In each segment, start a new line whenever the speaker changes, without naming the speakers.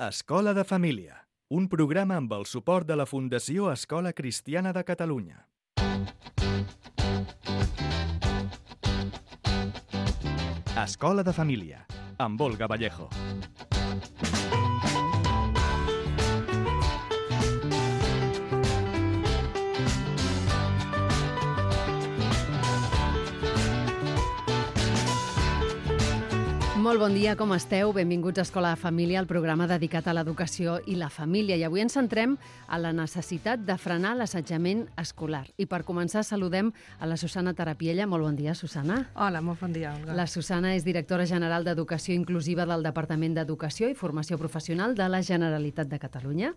Escola de Família, un programa amb el suport de la Fundació Escola Cristiana de Catalunya. Escola de Família, amb Olga Vallejo.
Molt bon dia, com esteu? Benvinguts a Escola de Família, el programa dedicat a l'educació i la família. I avui ens centrem a la necessitat de frenar l'assetjament escolar. I per començar saludem a la Susana Tarapiella. Molt bon dia, Susana.
Hola, molt bon dia, Olga.
La Susana és directora general d'Educació Inclusiva del Departament d'Educació i Formació Professional de la Generalitat de Catalunya.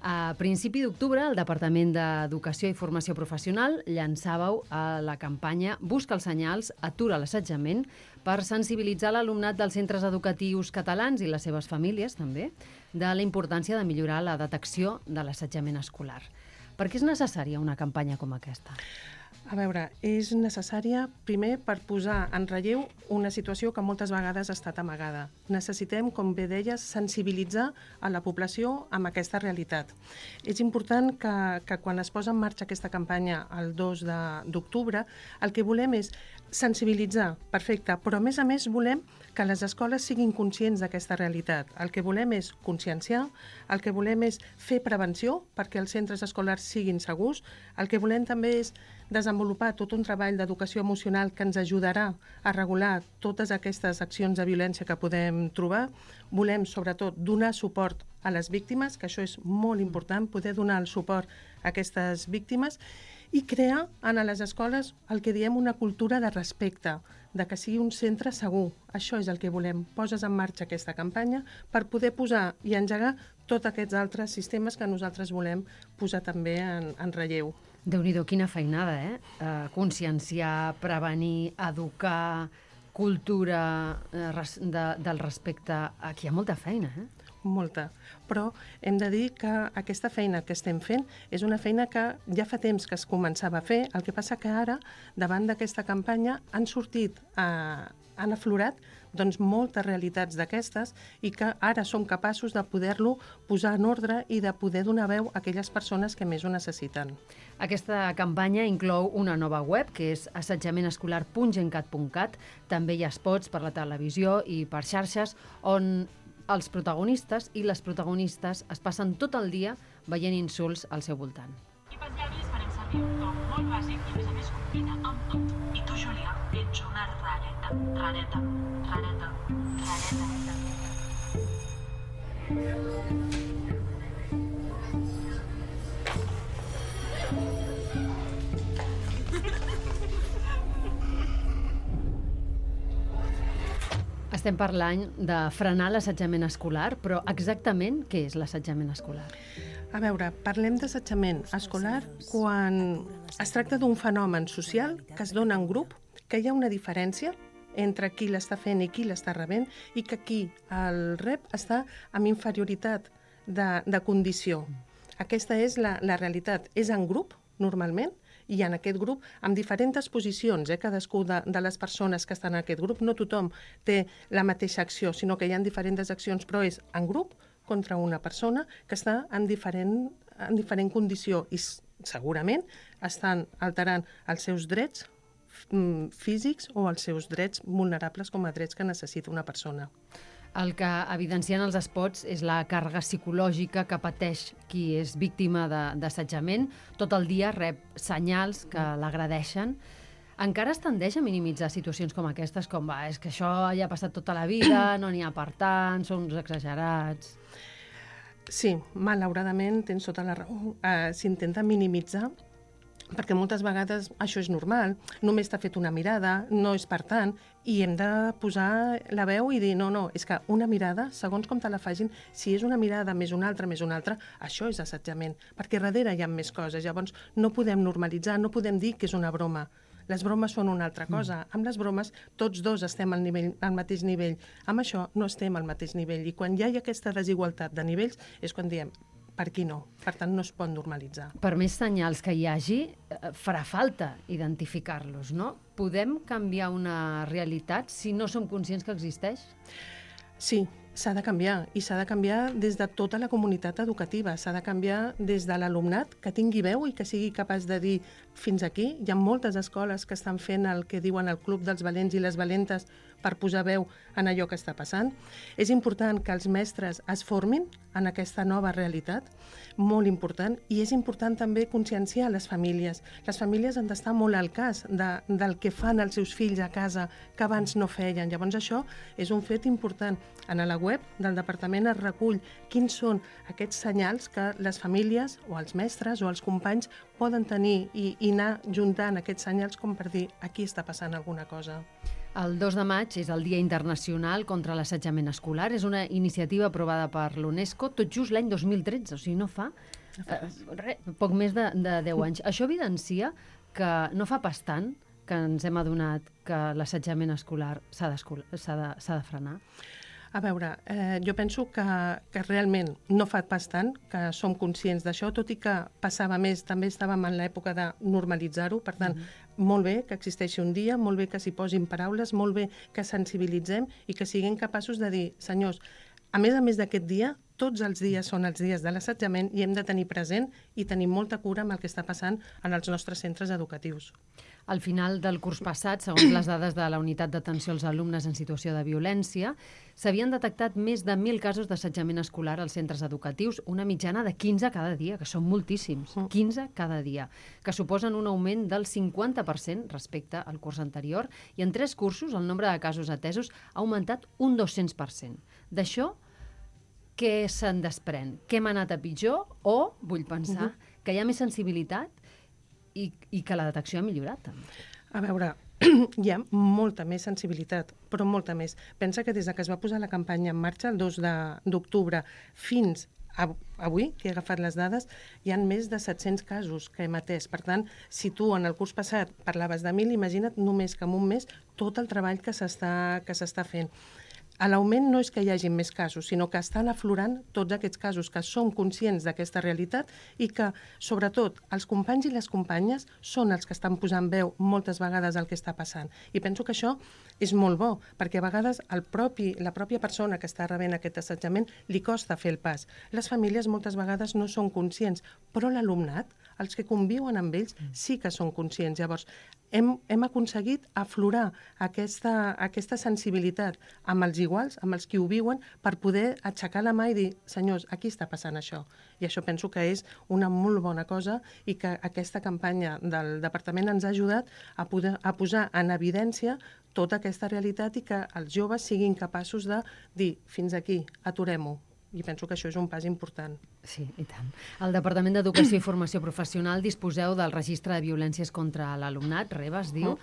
A principi d'octubre, el Departament d'Educació i Formació Professional llançàveu la campanya Busca els senyals, atura l'assetjament, per sensibilitzar l'alumnat dels centres educatius catalans i les seves famílies, també, de la importància de millorar la detecció de l'assetjament escolar. Per què és necessària una campanya com aquesta?
A veure, és necessària, primer, per posar en relleu una situació que moltes vegades ha estat amagada. Necessitem, com bé deies, sensibilitzar a la població amb aquesta realitat. És important que quan es posa en marxa aquesta campanya el 2 d'octubre, el que volem és sensibilitzar, perfecte, però a més volem que les escoles siguin conscients d'aquesta realitat. El que volem és conscienciar, el que volem és fer prevenció perquè els centres escolars siguin segurs, el que volem també és desenvolupar tot un treball d'educació emocional que ens ajudarà a regular totes aquestes accions de violència que podem trobar. Volem, sobretot, donar suport a les víctimes, que això és molt important, poder donar el suport a aquestes víctimes i crear en les escoles el que diem una cultura de respecte, de que sigui un centre segur. Això és el que volem. Poses en marxa aquesta campanya per poder posar i engegar tots aquests altres sistemes que nosaltres volem posar també en relleu.
Déu-n'hi-do, quina feinada, Conscienciar, prevenir, educar, cultura del respecte. Aquí hi ha molta feina,
Molta, però hem de dir que aquesta feina que estem fent és una feina que ja fa temps que es començava a fer, el que passa que ara, davant d'aquesta campanya, han sortit, han aflorat moltes realitats d'aquestes i que ara som capaços de poder-lo posar en ordre i de poder donar veu a aquelles persones que més ho necessiten.
Aquesta campanya inclou una nova web, que és assetjamenescolar.gencat.cat. També hi ha spots per la televisió i per xarxes on els protagonistes i les protagonistes es passen tot el dia veient insults al seu voltant.
I pels llavis farem servir un to molt bàsic i a més a més combina amb tot. I tu, Júlia, ets una rareta, rareta, rareta, rareta.
Estem parlant de frenar l'assetjament escolar, però exactament què és l'assetjament escolar?
A veure, parlem d'assetjament escolar quan es tracta d'un fenomen social que es dona en grup, que hi ha una diferència entre qui l'està fent i qui l'està rebent i que qui el rep està amb inferioritat de condició. Aquesta és la realitat. És en grup, normalment, i en aquest grup, amb diferents posicions, cadascú de les persones que estan en aquest grup, no tothom té la mateixa acció, sinó que hi ha diferents accions, però és en grup contra una persona que està en diferent condició i segurament estan alterant els seus drets físics o els seus drets vulnerables com a drets que necessita una persona.
El que evidencien els spots és la càrrega psicològica que pateix qui és víctima d'assetjament. Tot el dia rep senyals que l'agredeixen. Encara es tendeix a minimitzar situacions com aquestes, com és que això ja ha passat tota la vida, no n'hi ha per tant, són uns exagerats.
Sí, malauradament tens tota la raó. S'intenta minimitzar perquè moltes vegades això és normal, només t'ha fet una mirada, no és per tant, i hem de posar la veu i dir no, és que una mirada, segons com te la facin, si és una mirada més una altra, això és assetjament, perquè darrere hi ha més coses, llavors no podem normalitzar, no podem dir que és una broma. Les bromes són una altra cosa. Amb les bromes tots dos estem al mateix nivell. Amb això no estem al mateix nivell i quan hi ha aquesta desigualtat de nivells és quan diem per aquí no. Per tant, no es pot normalitzar.
Per més senyals que hi hagi, farà falta identificar-los, no? Podem canviar una realitat si no som conscients que existeix?
Sí, s'ha de canviar, i s'ha de canviar des de tota la comunitat educativa, s'ha de canviar des de l'alumnat que tingui veu i que sigui capaç de dir fins aquí. Hi ha moltes escoles que estan fent el que diuen el Club dels Valents i les Valentes per posar veu en allò que està passant. És important que els mestres es formin en aquesta nova realitat, molt important, i és important també conscienciar les famílies. Les famílies han d'estar molt al cas del que fan els seus fills a casa que abans no feien. Llavors això és un fet important. En la web del departament es recull quins són aquests senyals que les famílies o els mestres o els companys poden tenir i anar juntant aquests senyals com per dir aquí està passant alguna cosa.
El 2 de maig és el Dia Internacional contra l'Assetjament Escolar. És una iniciativa aprovada per l'UNESCO tot just l'any 2013, o sigui, no fa poc més de 10 anys. Això evidencia que no fa pas tant que ens hem adonat que l'assetjament escolar s'ha de frenar.
A veure, jo penso que realment no fa pas tant que som conscients d'això, tot i que passava més, també estàvem en l'època de normalitzar-ho, per tant, molt bé que existeixi un dia, molt bé que s'hi posin paraules, molt bé que sensibilitzem i que siguem capaços de dir, senyors, a més d'aquest dia, tots els dies són els dies de l'assetjament i hem de tenir present i tenir molta cura amb el que està passant en els nostres centres educatius.
Al final del curs passat, segons les dades de la Unitat d'Atenció als Alumnes en Situació de Violència, s'havien detectat més de 1.000 casos d'assetjament escolar als centres educatius, una mitjana de 15 cada dia, que són moltíssims, 15 cada dia, que suposen un augment del 50% respecte al curs anterior, i en 3 cursos el nombre de casos atesos ha augmentat un 200%. D'això, què se'n desprèn? Que hem anat a pitjor o, vull pensar, que hi ha més sensibilitat i que la detecció ha millorat també?
A veure, hi ha molta més sensibilitat, però molta més. Pensa que des que es va posar la campanya en marxa el 2 d'octubre fins avui, que he agafat les dades, hi ha més de 700 casos que hem atès. Per tant, si tu en el curs passat parlaves de 1.000, imagina't només que en un mes tot el treball que s'està fent. L'augment no és que hi hagi més casos, sinó que estan aflorant tots aquests casos, que som conscients d'aquesta realitat i que, sobretot, els companys i les companyes són els que estan posant veu moltes vegades al que està passant. I penso que això és molt bo, perquè a vegades la pròpia persona que està rebent aquest assetjament li costa fer el pas. Les famílies moltes vegades no són conscients, però l'alumnat, els que conviuen amb ells, sí que són conscients. Llavors, hem aconseguit aflorar aquesta sensibilitat amb els iguals, amb els que ho viuen, per poder aixecar la mà i dir, senyors, aquí està passant això. I això penso que és una molt bona cosa i que aquesta campanya del departament ens ha ajudat a posar en evidència tota aquesta realitat i que els joves siguin capaços de dir, fins aquí, aturem-ho. I penso que això és un pas important.
Sí, i tant. Al Departament d'Educació i Formació Professional disposeu del registre de violències contra l'alumnat, REVA es diu,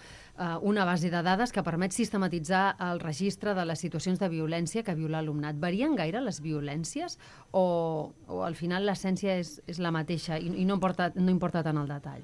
una base de dades que permet sistematitzar el registre de les situacions de violència que viu l'alumnat. Varien gaire les violències o al final l'essència és la mateixa i no importa tant el detall?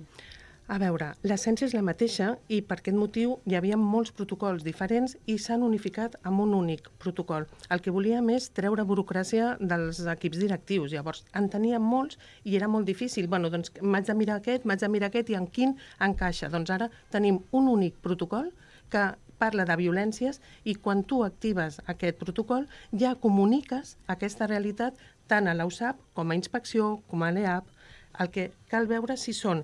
A veure, l'essència és la mateixa i per aquest motiu hi havia molts protocols diferents i s'han unificat amb un únic protocol. El que volíem és treure burocràcia dels equips directius. Llavors, en teníem molts i era molt difícil. Bueno, doncs m'haig de mirar aquest i en quin encaixa. Doncs ara tenim un únic protocol que parla de violències i quan tu actives aquest protocol ja comuniques aquesta realitat tant a l'USAP com a inspecció, com a l'EAP. El que cal veure si són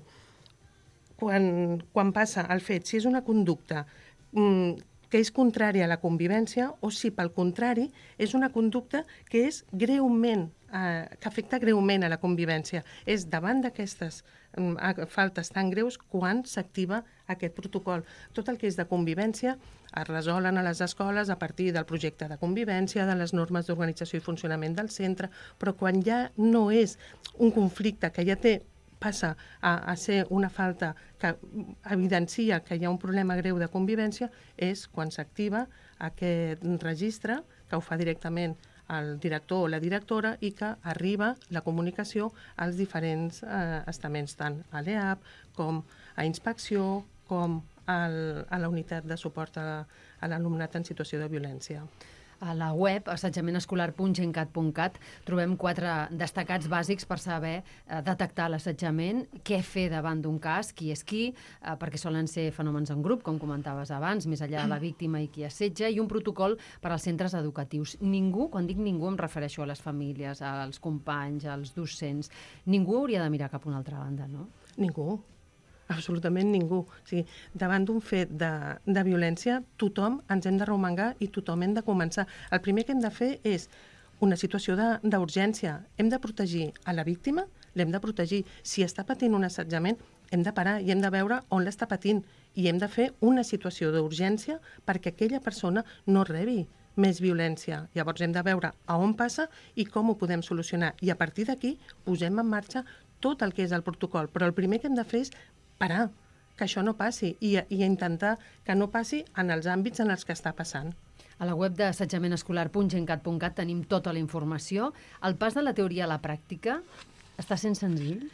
quan passa el fet, si és una conducta que és contrària a la convivència o si, pel contrari, és una conducta que és greument, que afecta greument a la convivència. És davant d'aquestes faltes tan greus quan s'activa aquest protocol. Tot el que és de convivència es resolen a les escoles a partir del projecte de convivència, de les normes d'organització i funcionament del centre, però quan ja no és un conflicte que ja passa a ser una falta que evidencia que hi ha un problema greu de convivència, és quan s'activa aquest registre, que ho fa directament el director o la directora i que arriba la comunicació als diferents estaments, tant a l'EAP com a inspecció, com a la unitat de suport a l'alumnat en situació de violència.
A la web, assetjamenescolar.gencat.cat, trobem 4 destacats bàsics per saber detectar l'assetjament, què fer davant d'un cas, qui és qui, perquè solen ser fenòmens en grup, com comentaves abans, més enllà de la víctima i qui assetja, i un protocol per als centres educatius. Ningú, quan dic ningú, em refereixo a les famílies, als companys, als docents, ningú hauria de mirar cap a una altra banda, no?
Ningú. Absolutament ningú. O sigui, davant d'un fet de violència, tothom ens hem de remengar i tothom hem de començar. El primer que hem de fer és una situació d'urgència. Hem de protegir a la víctima, l'hem de protegir. Si està patint un assetjament, hem de parar i hem de veure on l'està patint i hem de fer una situació d'urgència perquè aquella persona no rebi més violència. Llavors hem de veure a on passa i com ho podem solucionar. I a partir d'aquí posem en marxa tot el que és el protocol. Però el primer que hem de fer és parar, que això no passi i intentar que no passi en els àmbits en els que està passant.
A la web d'assetjamenescolar.gencat.cat tenim tota la informació. El pas de la teoria a la pràctica està sent senzill?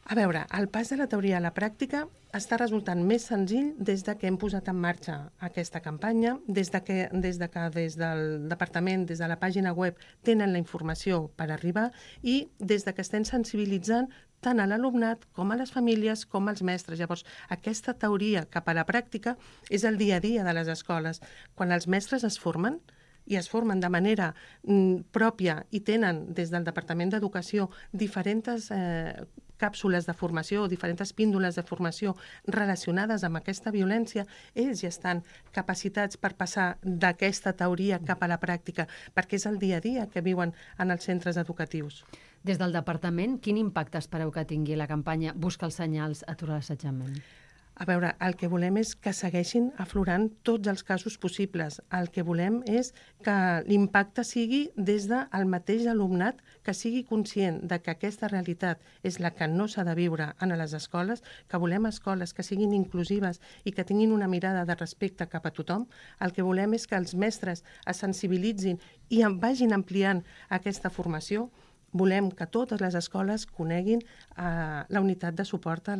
A veure, el pas de la teoria a la pràctica està resultant més senzill des que hem posat en marxa aquesta campanya, des del departament, des de la pàgina web, tenen la informació per arribar i des que estem sensibilitzant tant a l'alumnat com a les famílies com als mestres. Llavors, aquesta teoria cap a la pràctica és el dia a dia de les escoles. Quan els mestres es formen, i es formen de manera pròpia i tenen des del Departament d'Educació diferents càpsules de formació, diferents píndoles de formació relacionades amb aquesta violència, ells ja estan capacitats per passar d'aquesta teoria cap a la pràctica, perquè és el dia a dia que viuen en els centres educatius.
Des del departament, quin impacte espereu que tingui la campanya Busca els senyals, atura l'assetjament?
A veure, el que volem és que segueixin aflorant tots els casos possibles. El que volem és que l'impacte sigui des del mateix alumnat, que sigui conscient de que aquesta realitat és la que no s'ha de viure en les escoles, que volem escoles que siguin inclusives i que tinguin una mirada de respecte cap a tothom. El que volem és que els mestres es sensibilitzin i vagin ampliant aquesta formació. Volem que totes les escoles coneguin la unitat de suport a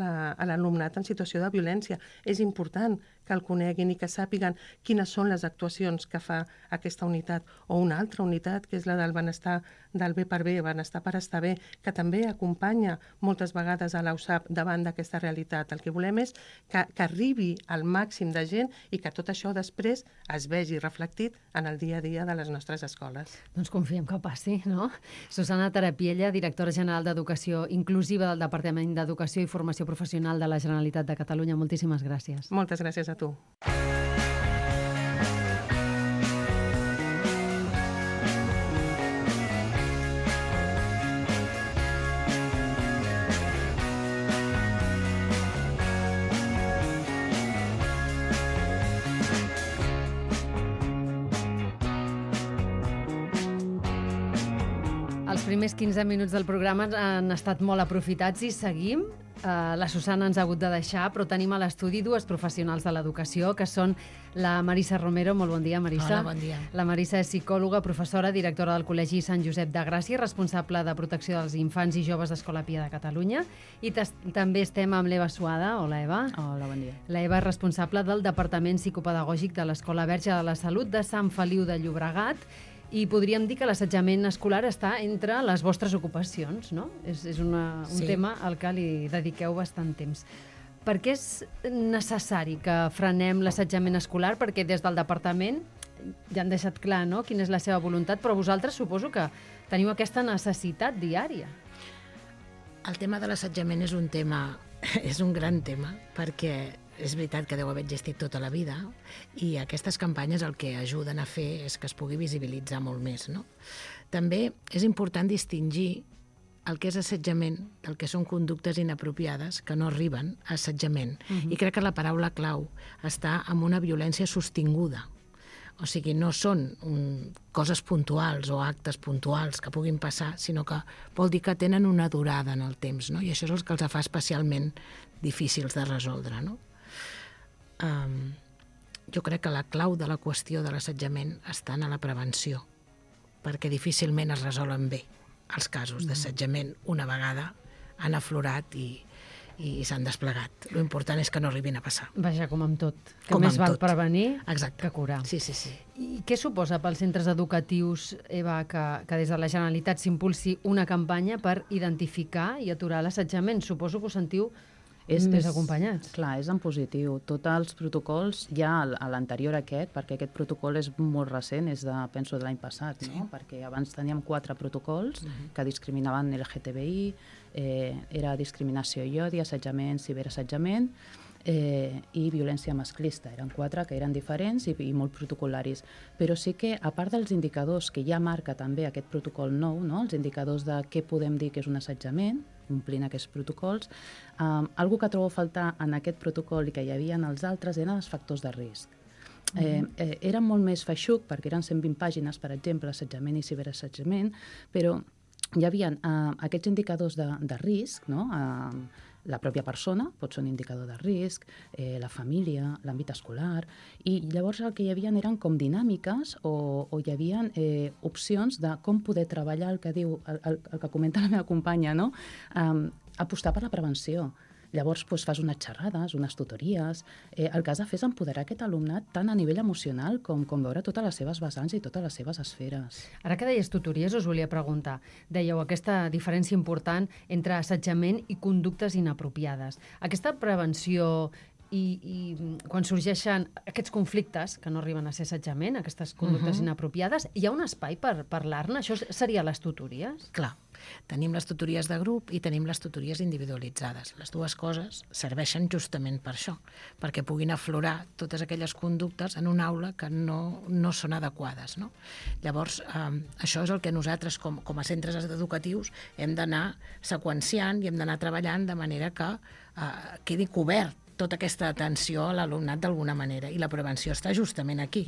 l'alumnat en situació de violència. És important que el coneguin i que sàpiguen quines són les actuacions que fa aquesta unitat o una altra unitat, que és la del benestar del bé per bé, benestar per estar bé, que també acompanya moltes vegades a l'USAP davant d'aquesta realitat. El que volem és que arribi al màxim de gent i que tot això després es vegi reflectit en el dia a dia de les nostres escoles.
Doncs confiem que passi, no? Susana Tarapiella, directora general d'Educació Inclusiva del Departament d'Educació i Formació Professional de la Generalitat de Catalunya. Moltíssimes gràcies.
Moltes gràcies a tu.
Els primers 15 minuts del programa han estat molt aprofitats i seguim. La Susana ens ha hagut de deixar, però tenim a l'estudi dues professionals de l'educació, que són la Marissa Romero. Molt bon dia, Marissa.
Hola, bon dia.
La Marissa és psicòloga, professora, directora del Col·legi Sant Josep de Gràcia, responsable de protecció dels infants i joves d'Escola Pia de Catalunya. I també estem amb l'Eva Suada. Hola, Eva.
Hola, bon dia.
L'Eva és responsable del Departament Psicopedagògic de l'Escola Verge de la Salut de Sant Feliu de Llobregat. I podríem dir que l'assetjament escolar està entre les vostres ocupacions, no? És un tema al que li dediqueu bastant temps. Per què és necessari que frenem l'assetjament escolar? Perquè des del departament ja han deixat clar, no?, quina és la seva voluntat, però vosaltres suposo que teniu aquesta necessitat diària.
El tema de l'assetjament és un gran tema, perquè és veritat que deu haver existit tota la vida i aquestes campanyes el que ajuden a fer és que es pugui visibilitzar molt més, no? També és important distingir el que és assetjament del que són conductes inapropiades que no arriben a assetjament. I crec que la paraula clau està en una violència sostinguda. O sigui, no són coses puntuals o actes puntuals que puguin passar, sinó que vol dir que tenen una durada en el temps, no? I això és el que els fa especialment difícils de resoldre, no? Jo crec que la clau de la qüestió de l'assetjament està en la prevenció, perquè difícilment es resolen bé els casos d'assetjament una vegada han aflorat i i s'han desplegat. L'important és que no arribin a passar.
Vaja, com amb tot. Que
Com
més
amb
val
tot.
prevenir
Exacte.
que curar.
Sí, sí, sí.
I què suposa pels centres educatius, Eva, que des de la Generalitat s'impulsi una campanya per identificar i aturar l'assetjament? Suposo que us sentiu més acompanyats.
Clar, és en positiu. Tots els protocols, ja a l'anterior perquè aquest protocol és molt recent, és penso de l'any passat, no? Perquè abans teníem 4 protocols que discriminaven LGTBI, era discriminació i odi, assetjament, ciberassetjament, i violència masclista. Eren 4 que eren diferents i molt protocolaris. Però sí que, a part dels indicadors que ja marca també aquest protocol nou, no? Els indicadors de què podem dir que és un assetjament, omplint aquests protocols, algo que trobo a faltar en aquest protocol i que hi havia en els altres eren els factors de risc. Era molt més feixuc, perquè eren 120 pàgines, per exemple, assetjament i ciberassetjament, però hi havia aquests indicadors de risc, no? La pròpia persona pot ser un indicador de risc, la família, l'àmbit escolar, i llavors el que hi havia eren com dinàmiques o hi havia opcions de com poder treballar el que diu, el que comenta la meva companya, no? Apostar per la prevenció. Llavors fas unes xerrades, unes tutories. El que has de fer és empoderar aquest alumnat tant a nivell emocional com veure totes les seves vessants i totes les seves esferes.
Ara que deies tutories, us volia preguntar. Dèieu aquesta diferència important entre assetjament i conductes inapropiades. Aquesta prevenció i quan sorgeixen aquests conflictes, que no arriben a ser assetjament, aquestes conductes inapropiades, hi ha un espai per parlar-ne? Això seria les tutories?
Clar, tenim les tutories de grup i tenim les tutories individualitzades. Les dues coses serveixen justament per això, perquè puguin aflorar totes aquelles conductes en una aula que no són adequades, no? Llavors, això és el que nosaltres, com a centres educatius, hem d'anar seqüenciant i hem d'anar treballant de manera que quedi cobert tota aquesta atenció a l'alumnat d'alguna manera. I la prevenció està justament aquí.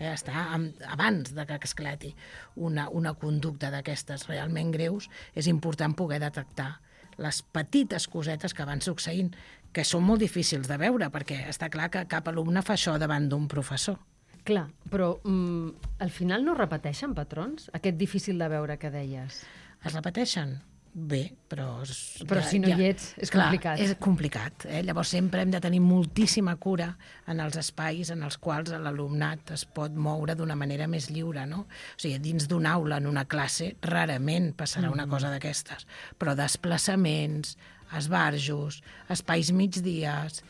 Està abans de que esclati una conducta d'aquestes realment greus. És important poder detectar les petites cosetes que van succeint, que són molt difícils de veure, perquè està clar que cap alumne fa això davant d'un professor.
Clar, però al final no repeteixen patrons? Aquest difícil de veure que deies.
Es repeteixen? Bé, però
si no hi ets, és complicat.
Clar, és complicat. Llavors sempre hem de tenir moltíssima cura en els espais en els quals l'alumnat es pot moure d'una manera més lliure, no? O sigui, dins d'una aula, en una classe, rarament passarà una cosa d'aquestes. Però desplaçaments, esbarjos, espais migdies...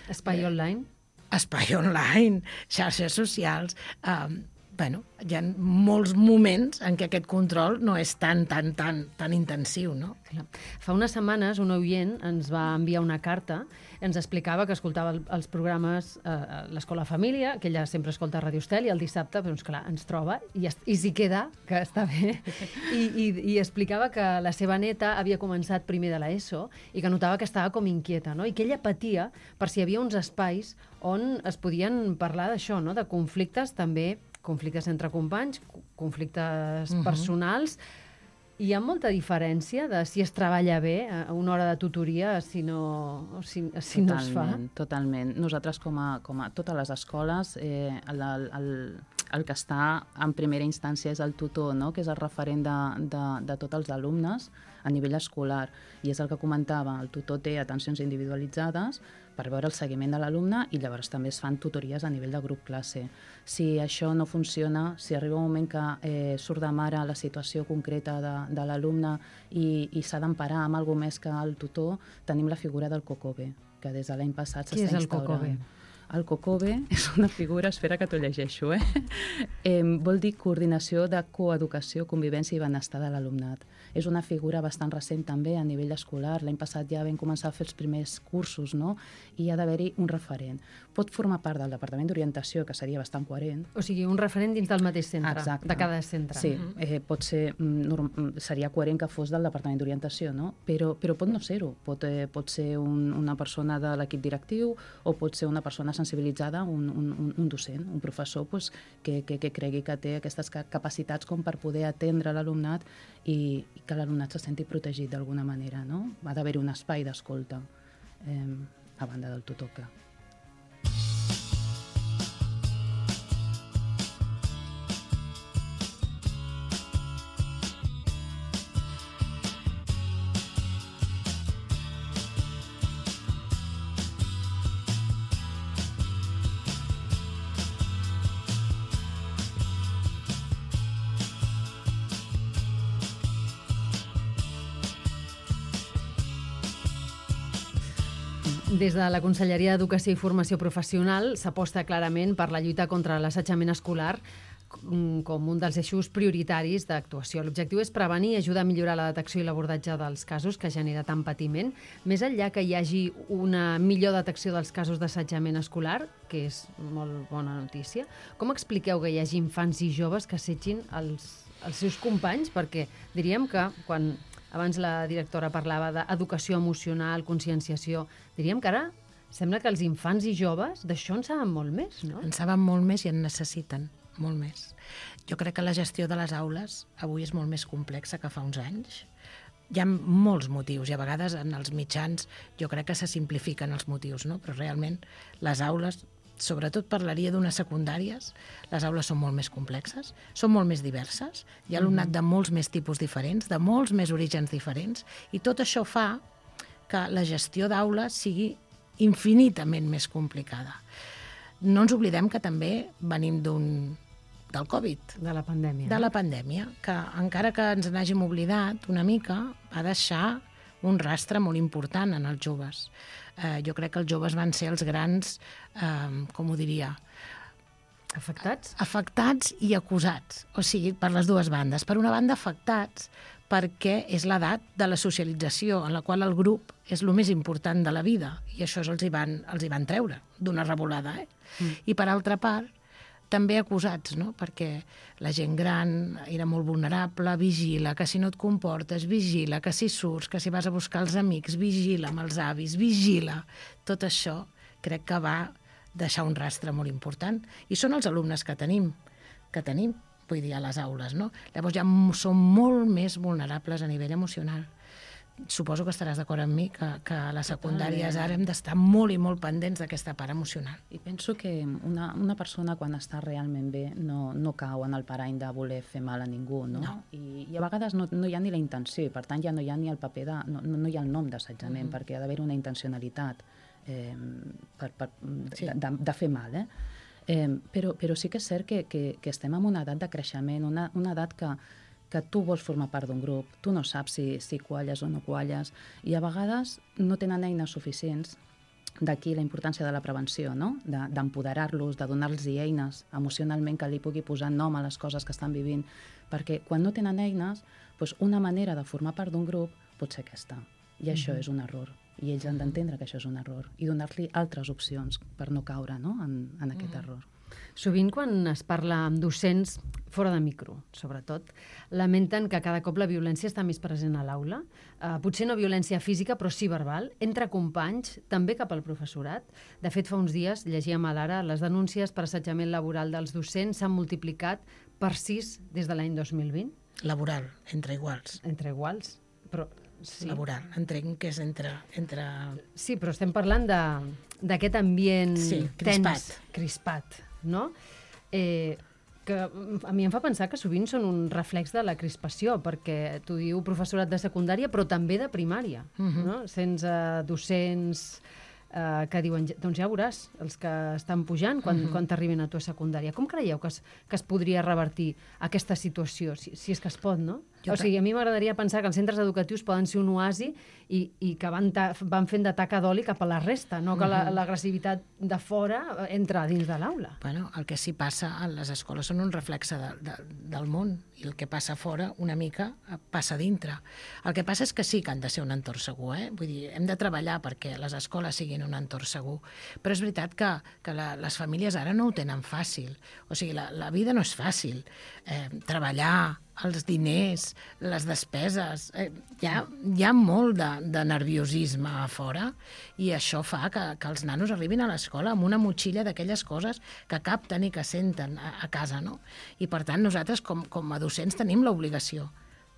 Espai online?
Espai online, xarxes socials... hi ha molts moments en què aquest control no és tan intensiu, no?
Fa unes setmanes un oient ens va enviar una carta, ens explicava que escoltava els programes a l'Escola Família, que ella sempre escolta a Ràdio Estel, i el dissabte, doncs clar, ens troba i s'hi queda, que està bé, i explicava que la seva neta havia començat primer de l'ESO i que notava que estava com inquieta, no? I que ella patia per si hi havia uns espais on es podien parlar d'això, no? De conflictes també, conflictes entre companys, conflictes personals. Hi ha molta diferència de si es treballa bé a una hora de tutoria si no es fa?
Totalment. Nosaltres, com a totes les escoles, el que està en primera instància és el tutor, no? Que és el referent de tots els alumnes a nivell escolar. I és el que comentava, el tutor té atencions individualitzades per veure el seguiment de l'alumne i llavors també es fan tutories a nivell de grup classe. Si això no funciona, si arriba un moment que surt de mare la situació concreta de l'alumne i s'ha d'emparar amb alguna més que el tutor, tenim la figura del COCOBE, que des de l'any passat s'està instaurant. Què és el COCOBE? El COCOBE és una figura, espera que t'ho llegeixo, vol dir Coordinació de Coeducació, Convivència i Benestar de l'Alumnat. És una figura bastant recent també a nivell escolar. L'any passat ja vam començar a fer els primers cursos, no? I hi ha d'haver-hi un referent. Pot formar part del Departament d'Orientació, que seria bastant coherent.
O sigui, un referent dins del mateix centre,
exacte,
de cada centre.
Sí, pot ser, seria coherent que fos del Departament d'Orientació, no? Però pot no ser-ho. Pot ser una persona de l'equip directiu o pot ser una persona sensibilitzada, un docent, un professor que cregui que té aquestes capacitats com per poder atendre l'alumnat i que l'alumnat se senti protegit d'alguna manera, no? Ha d'haver-hi un espai d'escolta a banda del tutor, clar.
Des de la Conselleria d'Educació i Formació Professional s'aposta clarament per la lluita contra l'assetjament escolar com un dels eixos prioritaris d'actuació. L'objectiu és prevenir i ajudar a millorar la detecció i l'abordatge dels casos que genera tant patiment, més enllà que hi hagi una millor detecció dels casos d'assetjament escolar, que és molt bona notícia. Com expliqueu que hi hagi infants i joves que assetgin els seus companys? Perquè diríem que quan abans la directora parlava d'educació emocional, conscienciació, diríem que ara sembla que els infants i joves d'això en saben molt més, no?
En saben molt més i en necessiten molt més. Jo crec que la gestió de les aules avui és molt més complexa que fa uns anys. Hi ha molts motius i a vegades en els mitjans jo crec que se simplifiquen els motius, no? Però realment les aules, sobretot parlaria d'unes secundàries, les aules són molt més complexes, són molt més diverses, hi ha alumnat de molts més tipus diferents, de molts més orígens diferents, i tot això fa que la gestió d'aules sigui infinitament més complicada. No ens oblidem que també venim del Covid.
De la pandèmia.
De la pandèmia, que encara que ens n'hàgim oblidat una mica, va deixar un rastre molt important en els joves. Jo crec que els joves van ser els grans, com ho diria...
Afectats?
Afectats i acusats, o sigui, per les dues bandes. Per una banda, afectats perquè és l'edat de la socialització en la qual el grup és el més important de la vida, i això els hi van treure d'una revolada. I per altra part, també acusats, no? Perquè la gent gran era molt vulnerable, vigila, que si no et comportes, vigila, que si surts, que si vas a buscar els amics, vigila amb els avis, vigila. Tot això crec que va deixar un rastre molt important. I són els alumnes que tenim, vull dir, a les aules, no? Llavors ja som molt més vulnerables a nivell emocional. Suposo que estaràs d'acord amb mi que a les secundàries ara hem d'estar molt i molt pendents d'aquesta part emocional.
I penso que una persona quan està realment bé no cau en el parany de voler fer mal a ningú, no? I a vegades no hi ha ni la intenció, i per tant ja no hi ha ni el paper no hi ha el nom d'assetjament, perquè ha d'haver una intencionalitat de fer mal, però sí que és cert que estem en una edat de creixement, una edat que tu vols formar part d'un grup, tu no saps si qualles o no qualles, i a vegades no tenen eines suficients. D'aquí la importància de la prevenció, no? D'empoderar-los, de donar-los eines emocionalment que li pugui posar nom a les coses que estan vivint, perquè quan no tenen eines, doncs una manera de formar part d'un grup pot ser aquesta, i això és un error, i ells han d'entendre que això és un error, i donar-li altres opcions per no caure, no? en aquest error.
Sovint, quan es parla amb docents, fora de micro, sobretot, lamenten que cada cop la violència està més present a l'aula. Potser no violència física, però sí verbal, entre companys, també cap al professorat. De fet, fa uns dies, llegíem a l'Ara, les denúncies per assetjament laboral dels docents s'han multiplicat per 6 des de l'any 2020.
Laboral, entre iguals.
Entre iguals, però... Sí.
Laboral, entenc que és entre...
Sí, però estem parlant d'aquest ambient
crispat.
Crispat, no? Que a mi em fa pensar que sovint són un reflex de la crispació, perquè tu diu professorat de secundària, però també de primària, no? Sense docents que diuen, doncs ja veuràs, els que estan pujant quan t'arriben a tu a secundària. Com creieu que es podria revertir aquesta situació, si és que es pot, no? O sigui, a mi m'agradaria pensar que els centres educatius poden ser un oasi i que van fent de taca d'oli cap a la resta, no que l'agressivitat de fora entra dins de l'aula.
Bueno, el que sí passa a les escoles són un reflexe del món, i el que passa fora una mica passa dintre. El que passa és que sí que han de ser un entorn segur, Vull dir, hem de treballar perquè les escoles siguin un entorn segur, però és veritat que les famílies ara no ho tenen fàcil. O sigui, la vida no és fàcil. Treballar, els diners, les despeses... Hi ha molt de nerviosisme a fora, i això fa que els nanos arribin a l'escola amb una motxilla d'aquelles coses que capten i que senten a casa, no? I per tant nosaltres com a docents tenim l'obligació